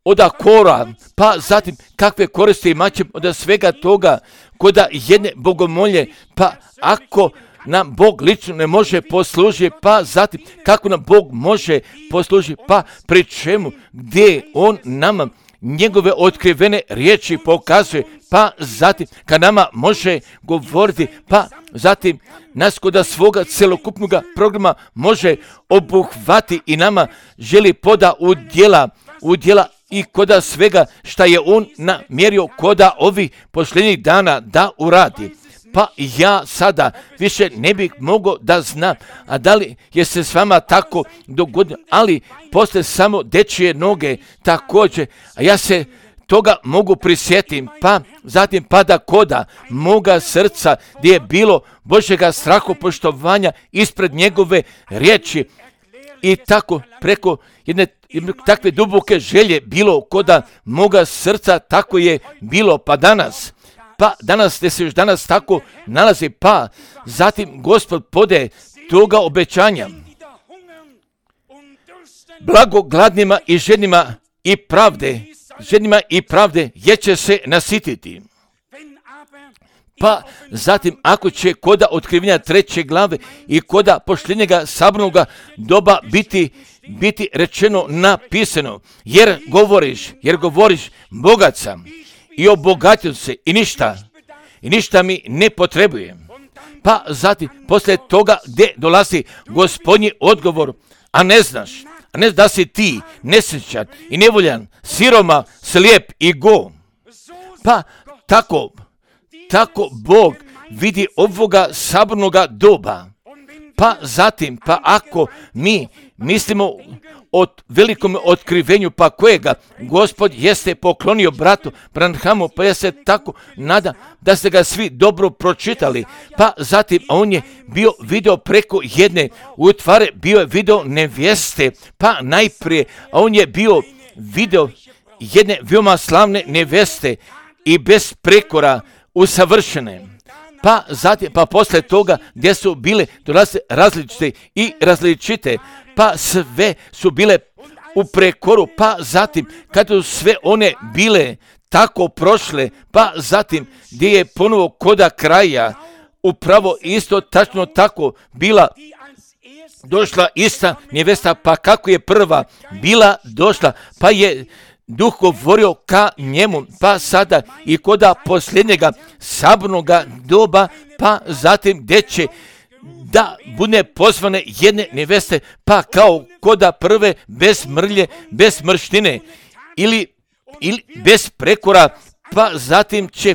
od kora, pa zatim kakve koristi imat ćemo od svega toga, koda jedne bogomolje, pa ako nam Bog lično ne može poslužiti, pa zatim kako nam Bog može poslužiti, pa pri čemu, gdje On nama njegove otkrivene riječi pokazuje, pa zatim kad nama može govoriti, pa zatim nas kod svoga celokupnog programa može obuhvati i nama želi poda udjela, udjela i koda svega šta je On namjerio koda ovih posljednjih dana da uradi. Pa ja sada više ne bih mogao da znam, a da li je se s vama tako dogodilo, ali posle samo dečije noge također, a ja se toga mogu prisjetim, pa zatim pada koda moga srca gdje je bilo Božjega strahopoštovanja ispred njegove riječi i tako preko jedne takve duboke želje bilo koda moga srca, tako je bilo pa danas. Pa danas, gdje se još danas tako nalazi, pa zatim Gospod pode toga obećanja. Blago gladnima i žednima i pravde, žednima i pravde, jer će se nasititi. Pa zatim, ako će koda otkrivenja treće glave i koda posljednjega sabornoga doba biti, biti rečeno napisano, jer govoriš, jer govoriš bogat sam i obogatio se i ništa, i ništa mi ne potrebujem. Pa zatim, poslije toga gdje dolazi Gospodnji odgovor, a ne znaš, a ne da si ti nesrećan i nevoljan, siroma, slijep i go. Pa tako, tako Bog vidi ovoga sabornoga doba. Pa zatim, pa ako mi mislimo o velikom otkrivenju, pa kojega Gospod jeste poklonio bratu Branhamu, pa ja se tako nadam da ste ga svi dobro pročitali. Pa zatim on je bio video preko jedne utvare, bio je video nevjeste, pa najprije on je bio video jedne veoma slavne nevjeste i bez prekora usavršene. Pa zatim, pa posle toga gdje su bile dolaze različite i različite, pa sve su bile u prekoru, pa zatim kad su sve one bile tako prošle, pa zatim gdje je ponovo koda kraja upravo isto tačno tako bila došla ista nevesta, pa kako je prva bila došla, pa je Duh govorio ka njemu, pa sada i koda posljednjega sabornoga doba, pa zatim gdje će da bude pozvane jedne neveste, pa kao koda prve bez mrlje, bez mrštine ili, ili bez prekora, pa zatim će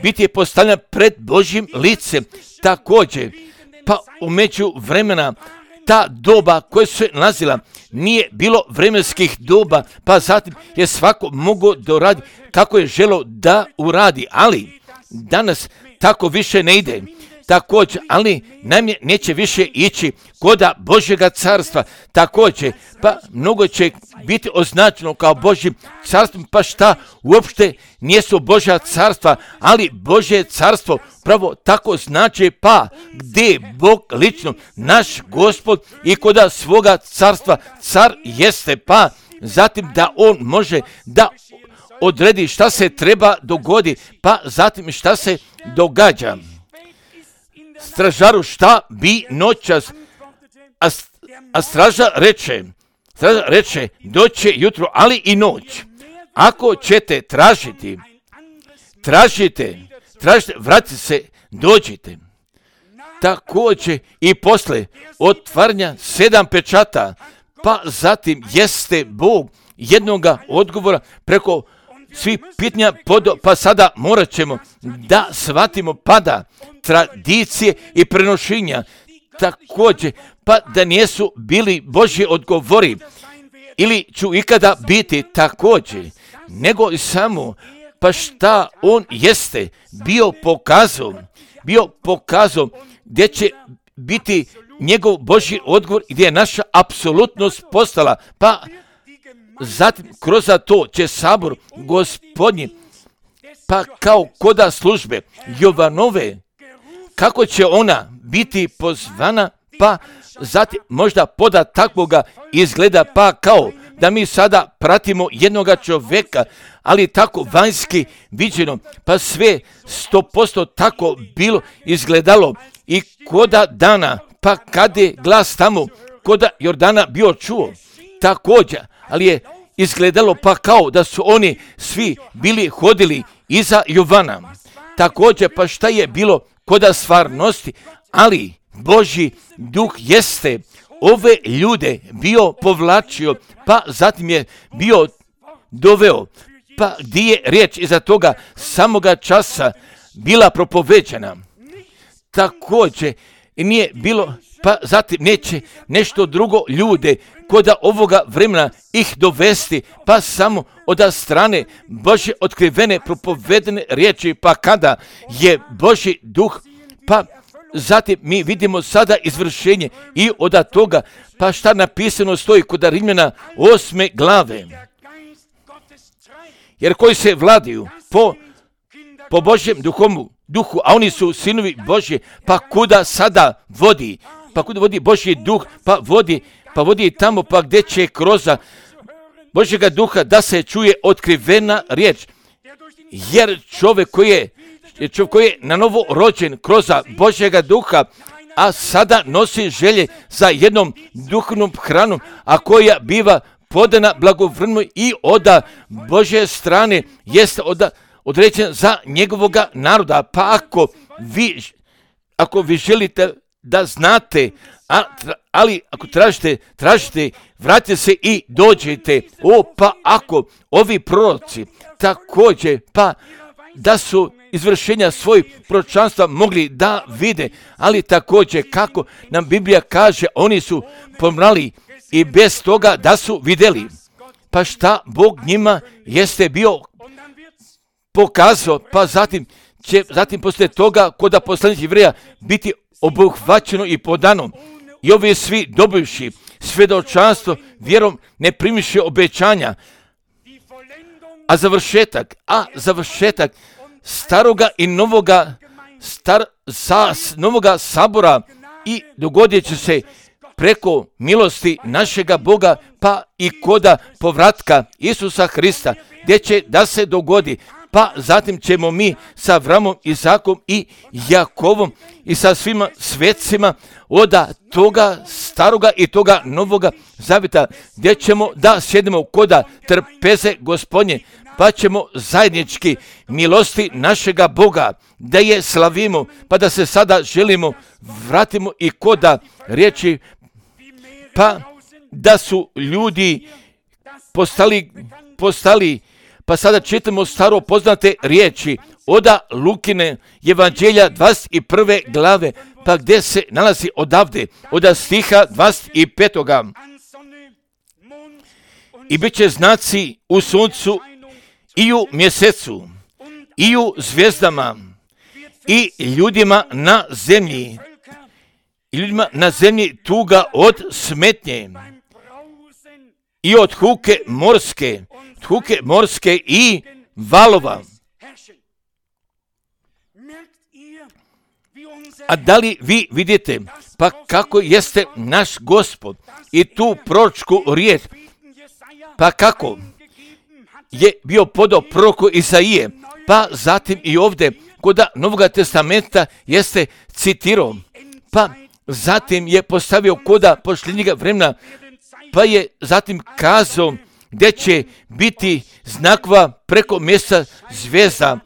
biti postavljena pred Božjim licem. Također, pa umeđu vremena ta doba koja se nalazila nije bilo vremenskih doba, pa zatim je svako mogao da uradi kako je želeo da uradi, ali danas tako više ne ide. Također, ali najmje neće više ići koda Božjega carstva. Također, pa mnogo će biti označeno kao Božjim carstvom, pa šta uopšte nijesu Božja carstva, ali Božje carstvo pravo tako znači, pa gdje Bog lično, naš Gospod i koda svoga carstva car jeste, pa zatim da on može da odredi šta se treba dogodi, pa zatim šta se događa. Stražaru šta bi noćas, a, a straža reče, straža reče, doće jutro, ali i noć. Ako ćete tražiti, tražite, tražite, vratite se, dođite. Također i posle otvaranja sedam pečata, pa zatim jeste Bog jednoga odgovora preko svi pitanja, pa sada morat ćemo da shvatimo pada tradicije i prenošenja također, pa da nisu bili Božji odgovori, ili ću ikada biti također, nego i samo, pa šta on jeste bio pokazao, bio pokazao gdje će biti njegov Božji odgovor, gdje je naša apsolutnost postala, pa zatim kroz to će sabor Gospodnji, pa kao koda službe Jovanove, kako će ona biti pozvana, pa zatim možda poda takvoga izgleda, pa kao da mi sada pratimo jednoga čovjeka, ali tako vanjski viđeno, pa sve sto posto tako bilo izgledalo i koda dana, pa kad je glas tamo koda Jordana bio čuo, također, ali je izgledalo pa kao da su oni svi bili hodili iza Jovana. Također, pa šta je bilo koda stvarnosti, ali Božji duh jeste ove ljude bio povlačio, pa zatim je bio doveo, pa gdje je riječ iza toga samoga časa bila propoveđena. Također nije bilo, pa zatim neće nešto drugo ljude koda ovoga vremena ih dovesti, pa samo od strane Božje otkrivene propovedene riječi, pa kada je Božji duh, pa zatim mi vidimo sada izvršenje i od toga, pa šta napisano stoji kod Rimljana osme glave. Jer koji se vladaju po, po Božjem duhomu, duhu, a oni su sinovi Božje, pa kuda sada vodi, pa kuda vodi Božji duh, pa vodi, pa vodi tamo, pa gdje će kroz Božjega duha da se čuje otkrivena riječ. Jer čovjek koji je čovjek koji je na novo rođen kroz Božjega duha, a sada nosi želje za jednom duhovnom hranom, a koja biva podana blagovremeno i od Božje strane jeste od, određen za njegovoga naroda. Pa ako vi, ako vi želite da znate, a, ali ako tražite, tražite, vratite se i dođete. O, pa ako ovi proroci također, pa da su izvršenja svojih proročanstva mogli da vide, ali također kako nam Biblija kaže, oni su pomrali i bez toga da su vidjeli. Pa šta Bog njima jeste bio pokazao, pa zatim će, zatim poslije toga koda poslanik Jevreja biti obuhvaćeno i podano. I ovi svi dobivši svjedočanstvo vjerom ne primiše obećanja, a završetak, a završetak staroga i novoga, star, sa, novoga sabora i dogodit će se preko milosti našega Boga, pa i koda povratka Isusa Hrista, gdje će da se dogodi, pa zatim ćemo mi sa Avramom, Izakom i Jakovom i sa svima svecima od toga staroga i toga novoga zavjeta, gdje ćemo da sjedemo koda trpeze Gospodnje, pa ćemo zajednički milosti našega Boga, da je slavimo, pa da se sada želimo vratimo i koda riječi, pa da su ljudi postali, postali pa sada čitamo staro poznate riječi oda Lukine Evanđelja dvadeset prve glave, pa gdje se nalazi odavde, oda stiha dvadeset pet. I bit će znaci u suncu i u mjesecu i u zvijezdama i ljudima na zemlji, i ljudima na zemlji tuga od smetnje i od huke morske, huke morske i valova. A da li vi vidite, pa kako jeste naš Gospod i tu proročku riječ, pa kako je bio podao proroku Isaije, pa zatim i ovdje kod Novoga testamenta jeste citirao, pa zatim je postavio koda posljednjega vremena, pa je zatim kazao gdje će biti znakova preko mjesta zvijezda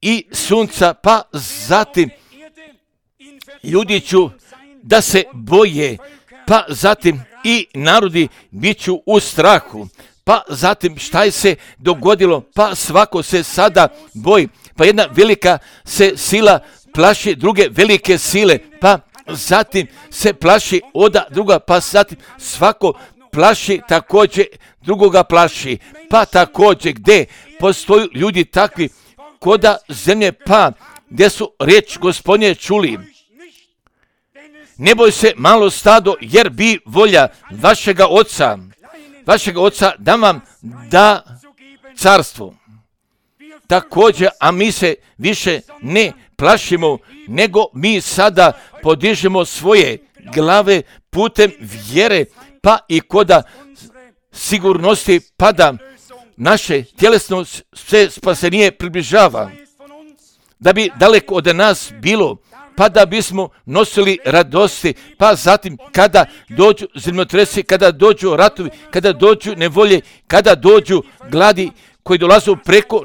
i sunca, pa zatim ljudi ću da se boje, pa zatim i narodi bit ću u strahu, pa zatim šta je se dogodilo, pa svako se sada boji, pa jedna velika se sila plaši druge velike sile, pa zatim se plaši oda druga, pa zatim svako plaši također drugoga plaši, pa također gdje postoju ljudi takvi koda zemlje, pa gdje su riječ Gospodnje čuli. Ne boj se malo stado, jer bi volja vašega oca, vašega oca da vam da carstvo. Također, a mi se više ne plašimo, nego mi sada podižemo svoje glave putem vjere, pa i koda sigurnosti, pa da naše tjelesno sve spasenije približava, da bi daleko od nas bilo, pa da bismo nosili radosti, pa zatim kada dođu zemljotresi, kada dođu ratovi, kada dođu nevolje, kada dođu gladi koji dolazu preko,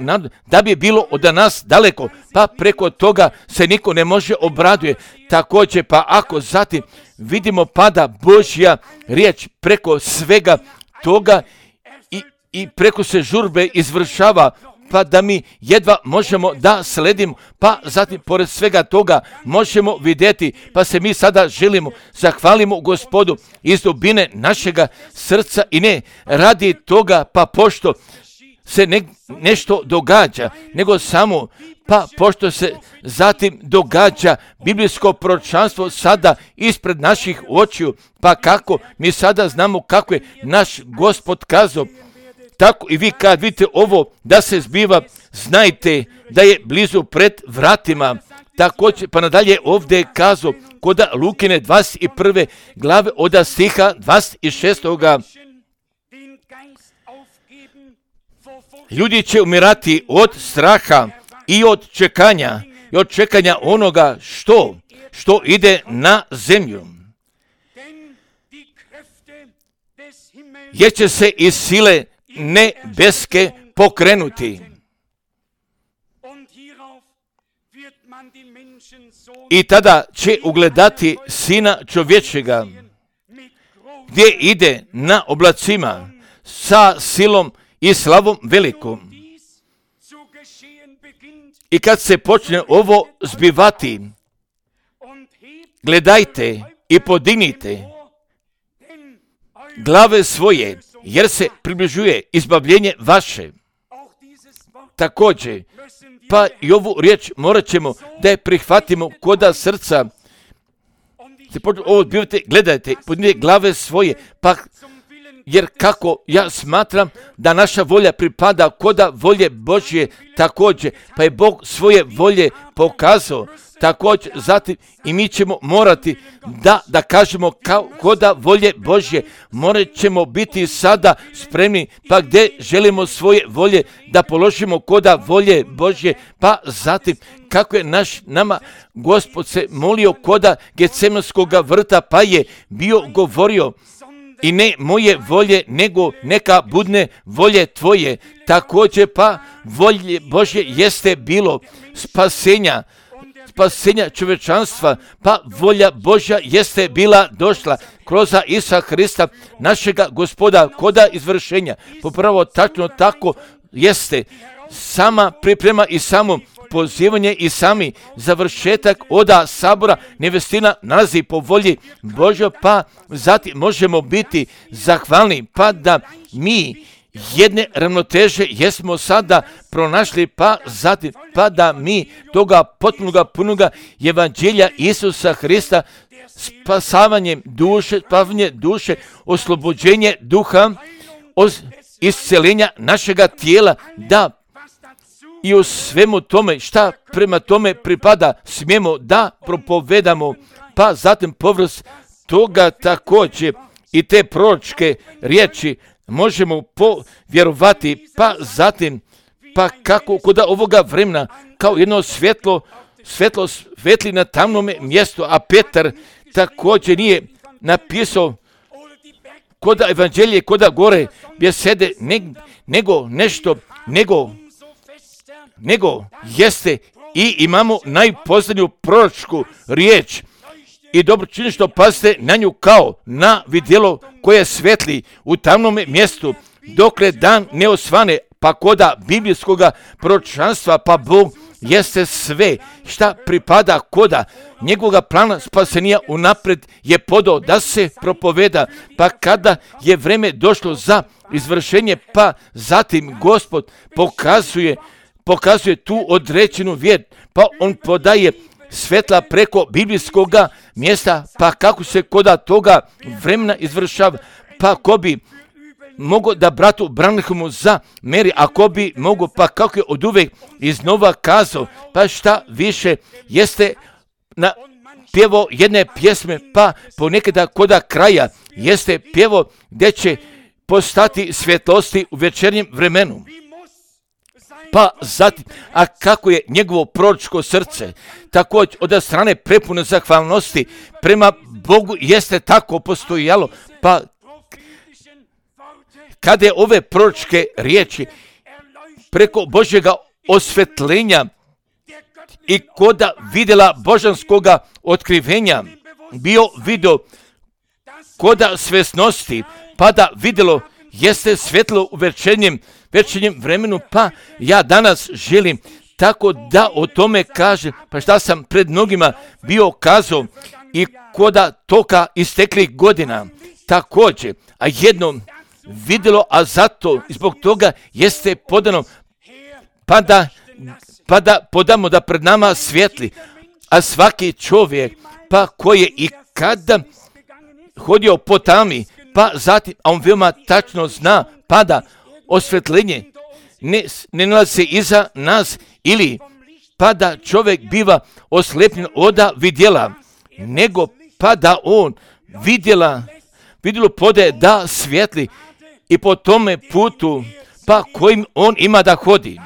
da bi bilo od nas daleko, pa preko toga se niko ne može obraduje. Također, pa ako zatim vidimo pada Božja riječ preko svega toga i, i preko se žurbe izvršava, pa da mi jedva možemo da sledimo, pa zatim pored svega toga možemo vidjeti, pa se mi sada želimo, zahvalimo Gospodu iz dubine našega srca i ne radi toga, pa pošto se ne, nešto događa, nego samo, pa pošto se zatim događa biblijsko proročanstvo sada ispred naših očiju, pa kako mi sada znamo kako je naš Gospod kazao, tako i vi kad vidite ovo da se zbiva, znajte da je blizu pred vratima. Također, pa nadalje ovdje je kazao kod Lukine dvadeset prve glave od stiha dvadeset šestog Ljudi će umirati od straha i od čekanja, i od čekanja onoga što, što ide na zemlju. Jer će se iz sile nebeske pokrenuti. I tada će ugledati Sina čovječega, gdje ide na oblacima sa silom i slavom velikom. I kad se počne ovo zbivati, gledajte i podignite glave svoje, jer se približuje izbavljenje vaše. Također, pa i ovu riječ morat ćemo da je prihvatimo koda srca. Ovo zbivate, gledajte, podignite glave svoje, pa jer kako ja smatram da naša volja pripada koda volje Božje također, pa je Bog svoje volje pokazao također, zatim i mi ćemo morati da, da kažemo kao koda volje Božje, morat ćemo biti sada spremni, pa gdje želimo svoje volje da položimo koda volje Božje, pa zatim kako je naš nama Gospod se molio koda Getsemanskoga vrta, pa je bio govorio, i ne moje volje, nego neka budne volje tvoje. Također pa volje Božje jeste bilo spasenja, spasenja čovječanstva, pa volja Božja jeste bila došla kroz Isusa Hrista, našega Gospoda, koda izvršenja. Popravo tačno tako jeste sama priprema i samo pozivanje i sami završetak oda sabora nevestina nalazi po volji Božja, pa zatim možemo biti zahvalni, pa da mi jedne ravnoteže jesmo sada pronašli, pa zatim pa da mi toga potpunoga punoga evanđelja Isusa Hrista, spasavanjem duše, spavanje duše, oslobođenje duha, isceljenja našega tijela, da i u svemu tome šta prema tome pripada smijemo da propovedamo, pa zatim povrst toga također i te proročke riječi možemo povjerovati, pa zatim pa kako kod ovoga vremena kao jedno svjetlo, svjetlo svetli na tamnome mjestu, a Petar također nije napisao koda evanđelje, koda gore bjesede, nego nešto, nego nego jeste i imamo najposljednju proročku riječ i dobro čini što pazite na nju kao na vidjelo koje svetli u tamnom mjestu dokle dan ne osvane, pa koda biblijskoga proročanstva, pa Bog jeste sve šta pripada koda njegovoga plana spasenija unapred je podao da se propoveda, pa kada je vreme došlo za izvršenje, pa zatim Gospod pokazuje, pokazuje tu određenu vjer, pa on podaje svetla preko biblijskoga mjesta, pa kako se koda toga vremena izvršava, pa ko bi mogo da bratu Branhamu za meri, ako bi mogo, pa kako je od uvek iznova kazao, pa šta više jeste na pjevo jedne pjesme, pa ponekada koda kraja jeste pjevo gdje će postati svjetlosti u večernjem vremenu. Pa zatim, a kako je njegovo proročko srce također od strane prepune zahvalnosti prema Bogu jeste tako postojalo, pa kada je ove proročke riječi preko Božjega osvetljenja i koda vidjela božanskoga otkrivenja bio video koda svjesnosti, pa da vidjelo jeste svjetlo u večernjem, večernjem vremenu, pa ja danas želim tako da o tome kažem, pa šta sam pred mnogima bio kazao i koda toka isteklih godina također, a jednom vidjelo, a zato i zbog toga jeste podano, pa da, pa da podamo da pred nama svijetli, a svaki čovjek, pa koji je i kada hodio po tami, pa zatim, a on veoma tačno zna, pa da osvetljenje ne, ne nalazi se iza nas, ili pa da čovjek biva oslepljen oda vidjela, nego pa da on vidjela, vidjelo podaje da svijetli i po tome putu, pa kojim on ima da hodi.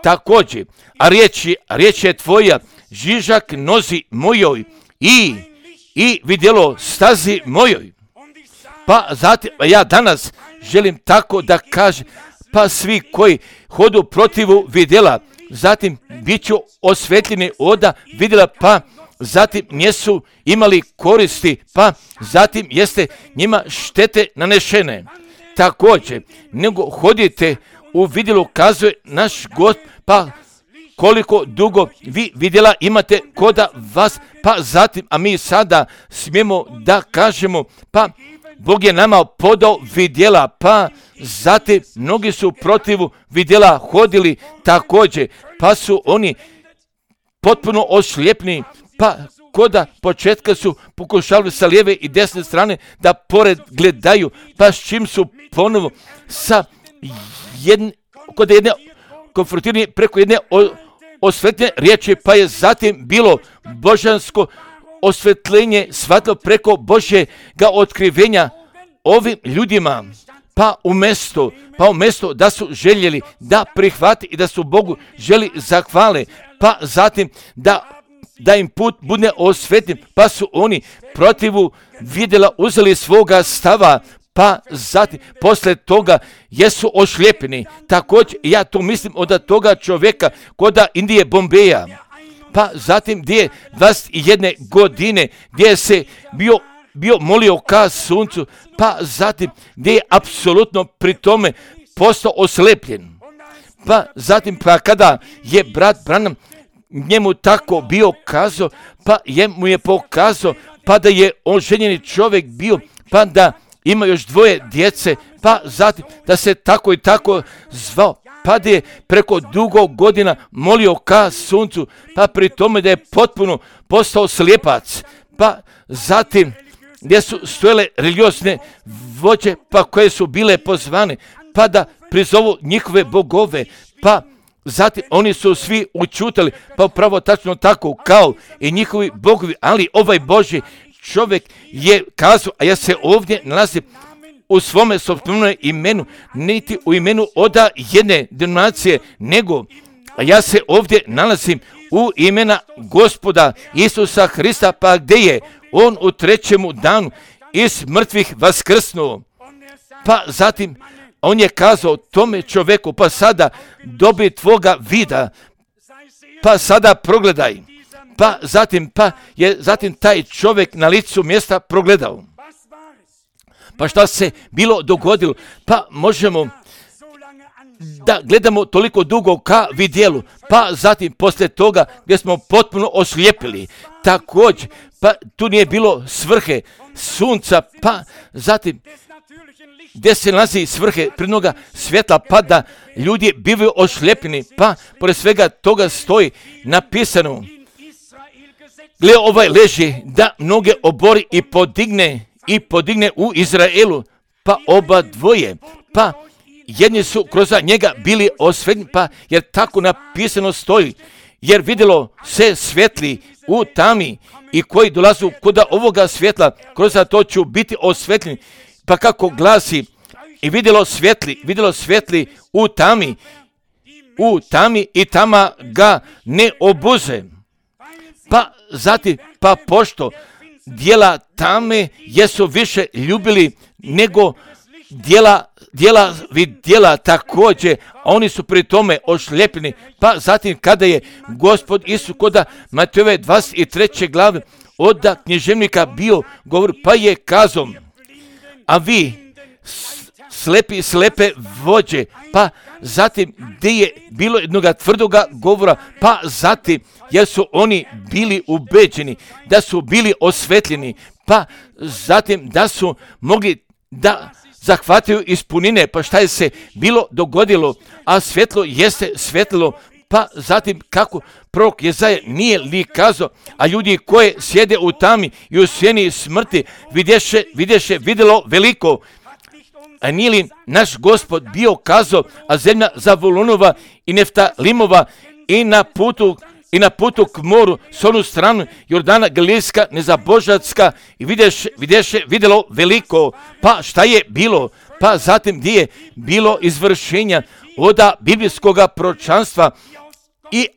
Također, a riječ je, riječ je tvoja, žižak nozi mojoj i, i vidjelo stazi mojoj. Pa zatim, ja danas želim tako da kažem, pa svi koji hodu protivu vidjela, zatim bit ću osvetljeni oda vidjela, pa zatim nisu imali koristi, pa zatim jeste njima štete nanešene. Također, nego hodite u vidjelu, kazuje naš Gospod, pa koliko dugo vi vidjela imate koda vas, pa zatim, a mi sada smijemo da kažemo, pa Bog je nama podao vidjela, pa zatim mnogi su protivu vidjela hodili također, pa su oni potpuno oslijepni, pa koda početka su pokušali sa lijeve i desne strane da pored gledaju, pa s čim su ponovo sa jedne, kod jedne konfrontirani preko jedne osvetljene riječi, pa je zatim bilo božansko osvetljenje shvatilo preko Božjega otkrivenja ovim ljudima, pa umjesto, pa umjesto da su željeli da prihvati i da su Bogu želi zahvale, pa zatim da da im put bude osvetljen, pa su oni protivu vidjela uzeli svoga stava, pa zatim posle toga jesu ošljepeni. Također ja to mislim od toga čovjeka koda Indije Bombeja, pa zatim gdje je dvadeset jedne godine gdje se bio, bio molio ka suncu, pa zatim gdje je apsolutno pri tome postao oslepljen. Pa zatim pa kada je brat Branham njemu tako bio kazao, pa je mu je pokazao, pa da je oženjeni čovjek bio, pa da ima još dvoje djece, pa zatim da se tako i tako zvao, pa da je preko dugo godina molio ka suncu, pa pri tome da je potpuno postao slijepac, pa zatim gdje su stojele religiozne vođe, pa koje su bile pozvane, pa da prizovu njihove bogove, pa zatim oni su svi učutali, pa upravo tačno tako kao i njihovi bogovi, ali ovaj Božji čovjek je kazao, a ja se ovdje nalazim u svome sopstvenom imenu, niti u imenu oda jedne denominacije, nego a ja se ovdje nalazim u imena Gospoda Isusa Hrista, pa gdje je on u trećemu danu iz mrtvih vaskrsnuo. Pa zatim on je kazao tome čovjeku, pa sada dobi tvoga vida, pa sada progledaj. Pa zatim, pa je zatim taj čovjek na licu mjesta progledao. Pa šta se bilo dogodilo? Pa možemo da gledamo toliko dugo ka vidjelu, pa zatim poslije toga gdje smo potpuno oslijepili, također, pa tu nije bilo svrhe sunca, pa zatim gdje se nalazi svrhe prirodnoga svjetla, pa da ljudi bivaju oslijepljeni, pa pored svega toga stoji napisano, gle ovaj leži da mnoge obori i podigne i podigne u Izraelu, pa oba dvoje, pa jedni su kroz njega bili osvetljeni, pa jer tako napisano stoji, jer vidjelo se svetli u tami i koji dolazu kod ovoga svjetla, kroz to ću biti osvetljeni, pa kako glasi, i vidjelo svetli, vidjelo svetli u tami, u tami i tama ga ne obuze. Pa zatim, pa pošto dijela tame jesu više ljubili nego dijela, dijela vidjela također, a oni su pri tome ošljepljeni. Pa zatim kada je Gospod Isus kod Matejove dvadeset treće glave od književnika bio govor, pa je kazao, a vi slepi slepe vođe, pa zatim gdje je bilo jednoga tvrdoga govora, pa zatim jer su oni bili ubeđeni, da su bili osvetljeni, pa zatim da su mogli da zahvataju ispunine, pa šta je se bilo dogodilo, a svjetlo jeste svetlilo, pa zatim kako prorok Jezaja nije li kazao, a ljudi koje sjede u tami i u sjeni smrti vidješe, vidješe vidjelo veliko. A nije li naš Gospod bio kazao, a zemlja Zavulunova i Neftalimova i na putu i na putu k moru s onu stranu Jordana Galilejska, nezabožatska i vidješe, vidješe vidjelo veliko. Pa šta je bilo? Pa zatim gdje je bilo izvršenja oda biblijskog proročanstva i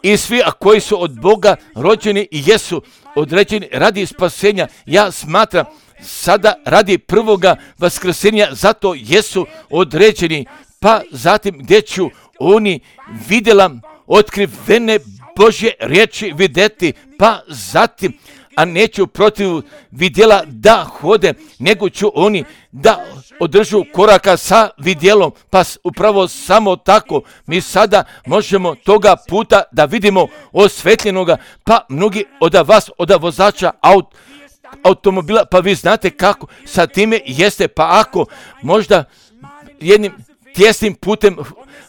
i svi a koji su od Boga rođeni i jesu određeni radi spasenja. Ja smatram sada radi prvoga vaskrsenja, zato jesu određeni. Pa zatim gdje ću oni vidjela otkrivene Božje riječi vidjeti, pa zatim, a neću protiv vidjela da hode, nego ću oni da održu koraka sa vidjelom, pa upravo samo tako mi sada možemo toga puta da vidimo osvetljenoga, pa mnogi od vas, od vozača aut, automobila, pa vi znate kako sa time jeste, pa ako možda jednim tjesnim putem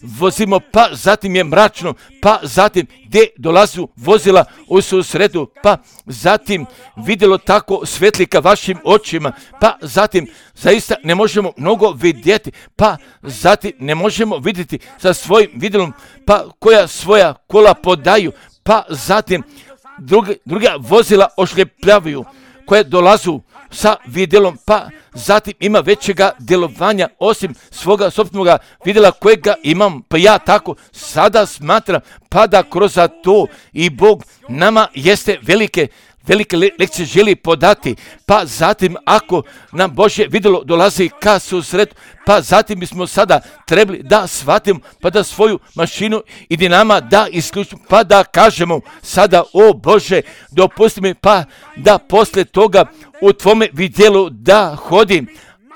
vozimo, pa zatim je mračno, pa zatim gdje dolazu vozila u susretu, pa zatim vidjelo tako svetli ka vašim očima, pa zatim zaista ne možemo mnogo vidjeti, pa zatim ne možemo vidjeti sa svojim vidjelom, pa koja svoja kola podaju, pa zatim druge, druga vozila ošljepljavaju, koje dolazu sa vidjelom, pa zatim ima većega djelovanja osim svoga sopstvenog vidjela kojega imam, pa ja tako sada smatram, pa da kroz to i Bog nama jeste velike velike lekcije želi podati, pa zatim ako nam Božje vidjelo dolazi ka susretu, pa zatim bismo sada trebali da shvatimo, pa da svoju mašinu i dinama da isključimo, pa da kažemo sada, o Bože, dopusti mi, pa da poslije toga u tvome vidjelu da hodim,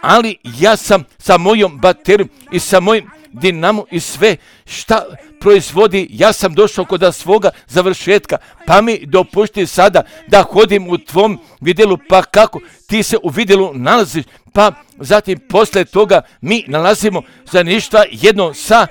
ali ja sam sa mojom baterijom i sa mojim dinamo i sve šta proizvodi, ja sam došao kod svoga završetka, pa mi dopušti sada da hodim u tvom vidjelu, pa kako ti se u vidjelu nalaziš, pa zatim poslije toga mi nalazimo zajedništva jedno sa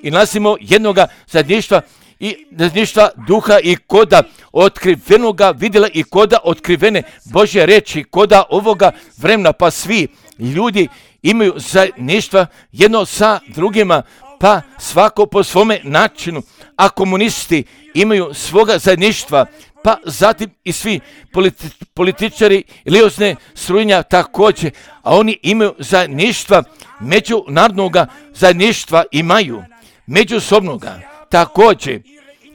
i nalazimo jednoga zajedništva i zajedništva duha i koda otkrivenoga vidjela i koda otkrivene Božje reči, koda ovoga vremena, pa svi ljudi imaju zajedništva jedno sa drugima, pa svako po svome načinu, a komunisti imaju svoga zajedništva, pa zatim i svi politi, političari liozne strujnja također, a oni imaju zajedništva, međunarodnoga zajedništva imaju, međusobnoga također,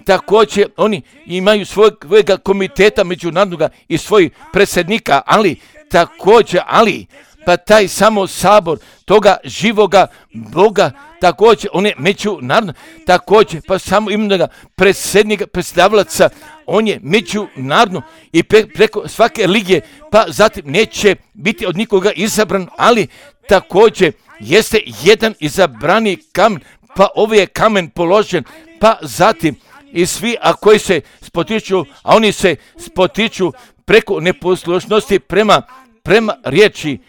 također oni imaju svojega komiteta međunarodnoga i svojih predsjednika, ali također, ali pa taj samo sabor toga živoga Boga, također on je međunarodno, također pa samo imenoga predsjednika, predstavljaca, on je međunarodno i pre, preko svake religije, pa zatim neće biti od nikoga izabran, ali također jeste jedan izabrani kamen, pa ovaj je kamen položen, pa zatim i svi, a koji se spotiču, a oni se spotiču preko neposlušnosti prema, prema riječi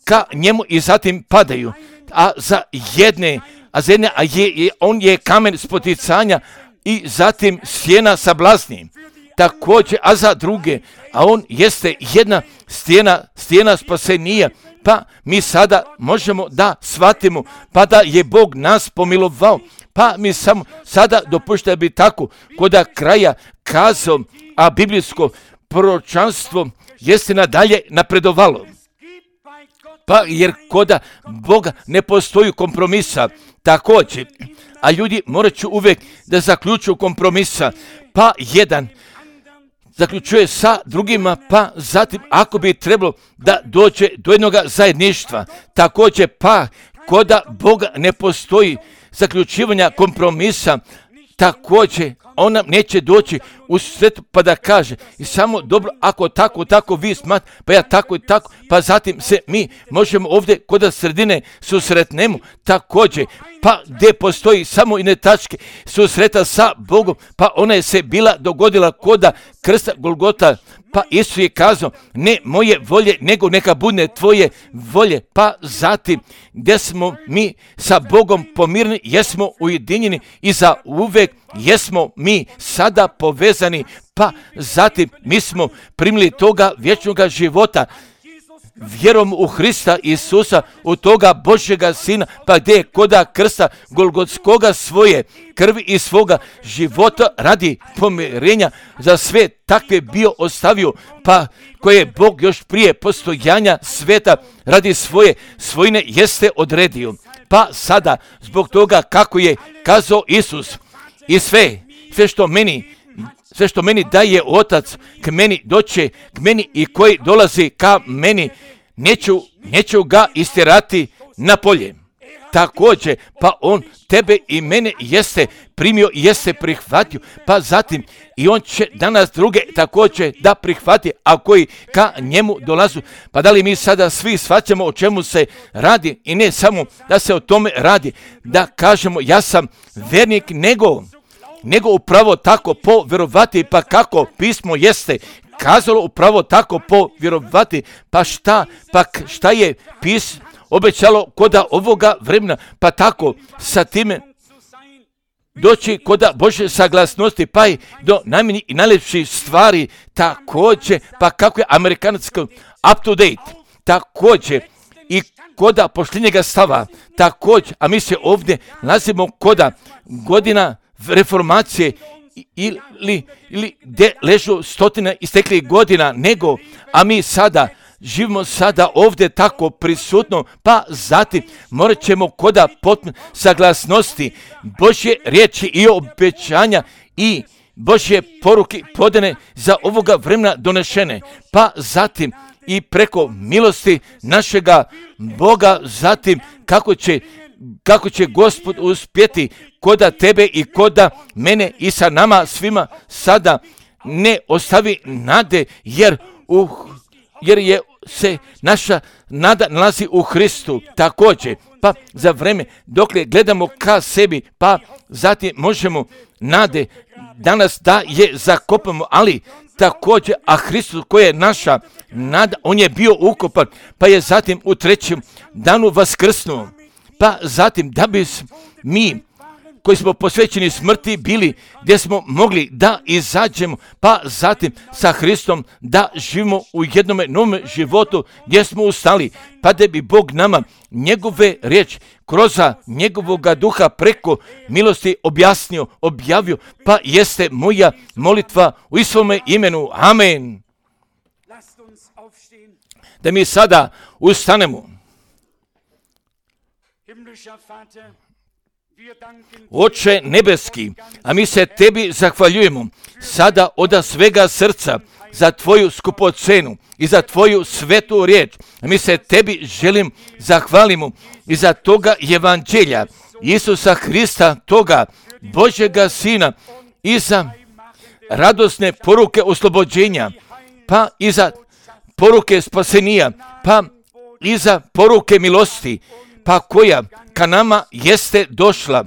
ka njemu i zatim padaju. A za jedne, a za jedne, a je, je, on je kamen spoticanja i zatim sjena sablazni. Također, a za druge, a on jeste jedna stijena, stijena spasenija. Pa mi sada možemo da shvatimo, pa da je Bog nas pomilovao, pa mi samo sada dopušta bi tako koda kraja kazao, a biblijsko proročanstvo jeste nadalje napredovalo. Pa jer koda Boga ne postoji kompromisa, također, a ljudi morat će uvijek da zaključuju kompromisa, pa jedan zaključuje sa drugima, pa zatim ako bi trebalo da dođe do jednog zajedništva, također pa koda Boga ne postoji zaključivanja kompromisa, također on nam neće doći u svet pa da kaže i samo dobro ako tako, tako vi smat, pa ja tako i tako, pa zatim se mi možemo ovdje kod sredine susretnemo, također pa gdje postoji samo i tačke susreta sa Bogom, pa ona je se bila dogodila koda krsta Golgota, pa Isus je kazao ne moje volje nego neka bude tvoje volje, pa zatim gdje smo mi sa Bogom pomirni, jesmo ujedinjeni i za uvek jesmo mi sada povezani, pa zatim mi smo primili toga vječnog života vjerom u Hrista Isusa, u toga Božjega Sina, pa gdje je koda krsta Golgotskoga svoje krvi i svoga života radi pomirenja za sve takve bio ostavio, pa koje je Bog još prije postojanja sveta radi svoje svojine jeste odredio. Pa sada zbog toga kako je kazao Isus i sve, sve što meni sve što meni daje Otac k meni doće k meni i koji dolazi ka meni, neću, neću ga istjerati na polje. Također, pa on tebe i mene jeste primio i jeste prihvatio, pa zatim i on će danas druge također da prihvati, a koji ka njemu dolazu. Pa da li mi sada svi shvaćamo o čemu se radi i ne samo da se o tome radi, da kažemo ja sam vernik, nego nego upravo tako po vjerovati, pa kako pismo jeste kazalo upravo tako po vjerovati, pa šta, pa šta je pis obećalo koda ovoga vremena, pa tako sa time doći koda Božje saglasnosti, pa i do najmanjih i najljepših stvari, također, pa kako je amerikansko up to date, također i koda pošljenjega stava, također, a mi se ovdje nalazimo koda godina reformacije ili, ili gdje ležu stotine isteklih godina, nego, a mi sada živimo sada ovdje tako prisutno, pa zatim morat ćemo koda potpuno saglasnosti Božje riječi i obećanja i Božje poruke podane za ovoga vremena donešene, pa zatim i preko milosti našega Boga, zatim kako će kako će Gospod uspjeti koda tebe i koda mene i sa nama svima sada ne ostavi nade, jer, u, jer je se naša nada nalazi u Hristu također. Pa za vreme dokle gledamo ka sebi, pa zatim možemo nade danas da je zakopamo, ali također, a Hristos koji je naša nada, on je bio ukopan, pa je zatim u trećem danu vaskrsnuo. Pa zatim da bi mi koji smo posvećeni smrti bili gdje smo mogli da izađemo, pa zatim sa Hristom da živimo u jednome novom životu gdje smo ustali, pa da bi Bog nama njegove riječi kroz njegovoga duha preko milosti objasnio, objavio, pa jeste moja molitva u Isovome imenu. Amen. Da mi sada ustanemo. Oče nebeski, a mi se tebi zahvaljujemo sada od svega srca za tvoju skupocenu i za tvoju svetu riječ. A mi se tebi želim zahvalimo i za toga evanđelja Isusa Hrista, toga Božjega Sina, i za radosne poruke oslobođenja, pa i za poruke spasenija, pa i za poruke milosti, pa koja ka nama jeste došla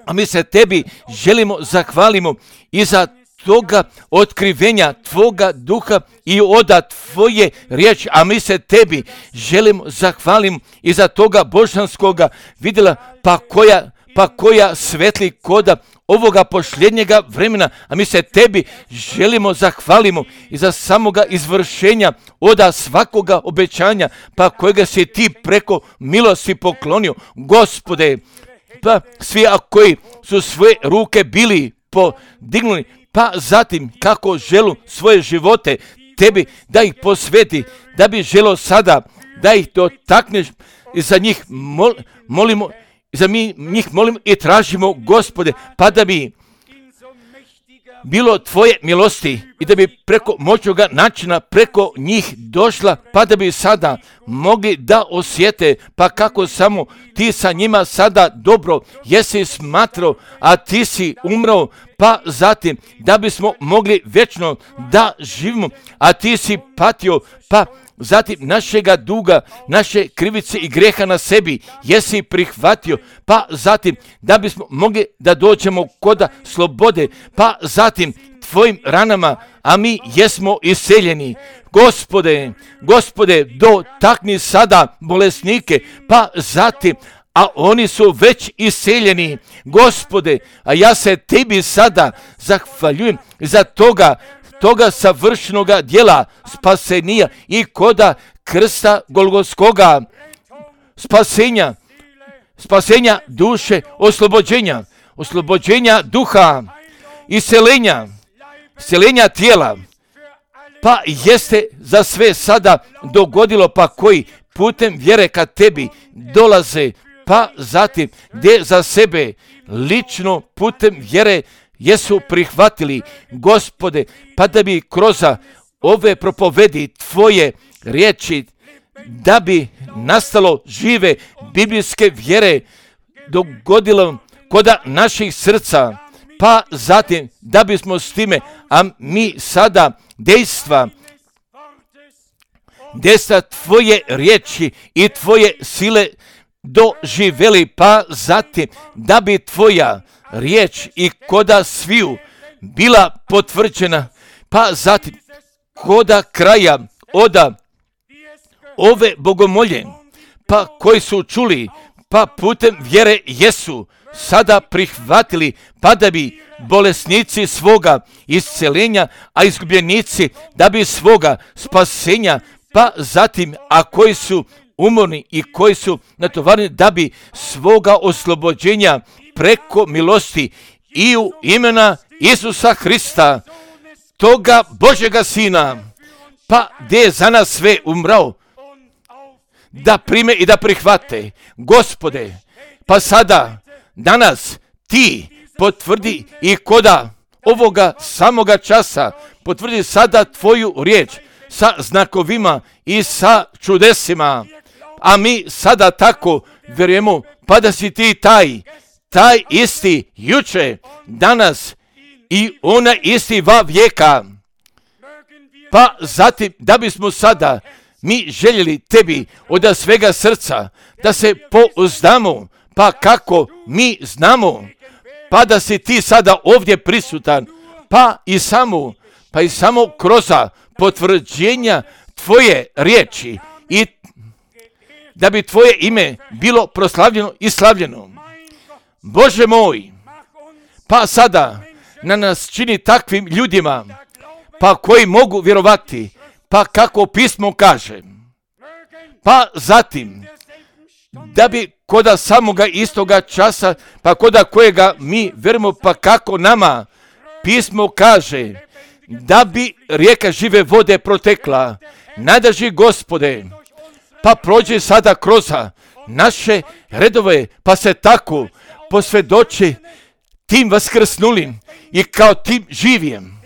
A mi se tebi želimo zahvalimo i za toga otkrivenja tvoga duha i oda tvoje riječi, a mi se tebi želimo zahvalimo i za toga božanskoga vidjela, pa koja, pa koja svetli koda ovoga posljednjega vremena, a mi se tebi želimo zahvalimo i za samoga izvršenja oda svakoga obećanja, pa kojega si ti preko milosti poklonio, Gospode, pa svi a koji su svoje ruke bili podignuli, pa zatim kako želu svoje živote tebi da ih posveti, da bi želo sada da ih dotakneš i za njih mol, molimo, za mi njih molimo i tražimo, Gospode, pa da bi bilo tvoje milosti i da bi preko moćnoga načina preko njih došla, pa da bi sada mogli da osjete, pa kako samo ti sa njima sada dobro jesi smatrao, a ti si umrao, pa zatim da bismo mogli vječno da živimo, a ti si patio, pa zatim našega duga, naše krivice i greha na sebi jesi prihvatio, pa zatim da bismo mogli da dođemo koda slobode, pa zatim tvojim ranama, a mi jesmo iseljeni. Gospode, Gospode, dotakni sada bolesnike, pa zatim, a oni su već iseljeni, Gospode, a ja se tebi sada zahvaljujem za toga, toga savršenoga djela spasenija i koda krsta Golgotskoga, spasenja, spasenja duše, oslobođenja, oslobođenja duha, iseljenja, iseljenja tijela, pa jeste za sve sada dogodilo, pa koji putem vjere ka tebi dolaze, pa zatim gdje za sebe lično putem vjere jesu prihvatili, Gospode, pa da bi kroz ove propovedi tvoje riječi, da bi nastalo žive biblijske vjere dogodilo koda naših srca, pa zatim da bismo s time, a mi sada dejstva, dejstva tvoje riječi i tvoje sile doživjeli, pa zatim da bi tvoja riječ i koda sviju bila potvrđena, pa zatim koda kraja oda ove bogomolje, pa koji su čuli, pa putem vjere jesu sada prihvatili, pa da bi bolesnici svoga isceljenja, a izgubljenici da bi svoga spasenja, pa zatim, a koji su umorni i koji su natovareni da bi svoga oslobođenja preko milosti i u imena Isusa Hrista, toga Božjega Sina, pa gdje je za nas sve umrao, da prime i da prihvate, Gospode, pa sada, danas, ti potvrdi i koda ovoga samoga časa, potvrdi sada tvoju riječ sa znakovima i sa čudesima, a mi sada tako vjerujemo, pa da si ti taj, taj isti juče, danas i ona isti va vijeka, pa zatim da bismo sada mi željeli tebi od svega srca da se pouzdamo, pa kako mi znamo, pa da si ti sada ovdje prisutan, pa i samo, pa i samo kroz potvrđenja tvoje riječi i da bi tvoje ime bilo proslavljeno i slavljeno. Bože moj, pa sada na nas čini takvim ljudima, pa koji mogu vjerovati, pa kako pismo kaže, pa zatim da bi koda samoga istoga časa, pa koda kojega mi vjerujemo, pa kako nama pismo kaže, da bi rijeka žive vode protekla, nadrži Gospode, pa prođe sada kroz naše redove, pa se tako posvjedoči tim vaskrsnulim i kao tim živim,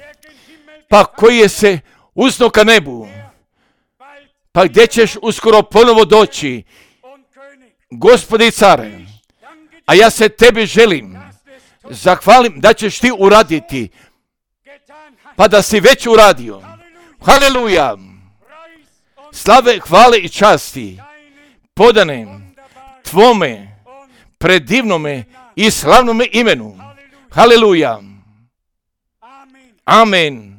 pa koji je se uzno ka nebu, pa gdje ćeš uskoro ponovo doći, Gospode i care, a ja se tebi želim, zahvalim da ćeš ti uraditi, pa da si već uradio. Haleluja! Slave, hvale i časti podane tvome predivnome i slavnome imenu. Haleluja. Amen.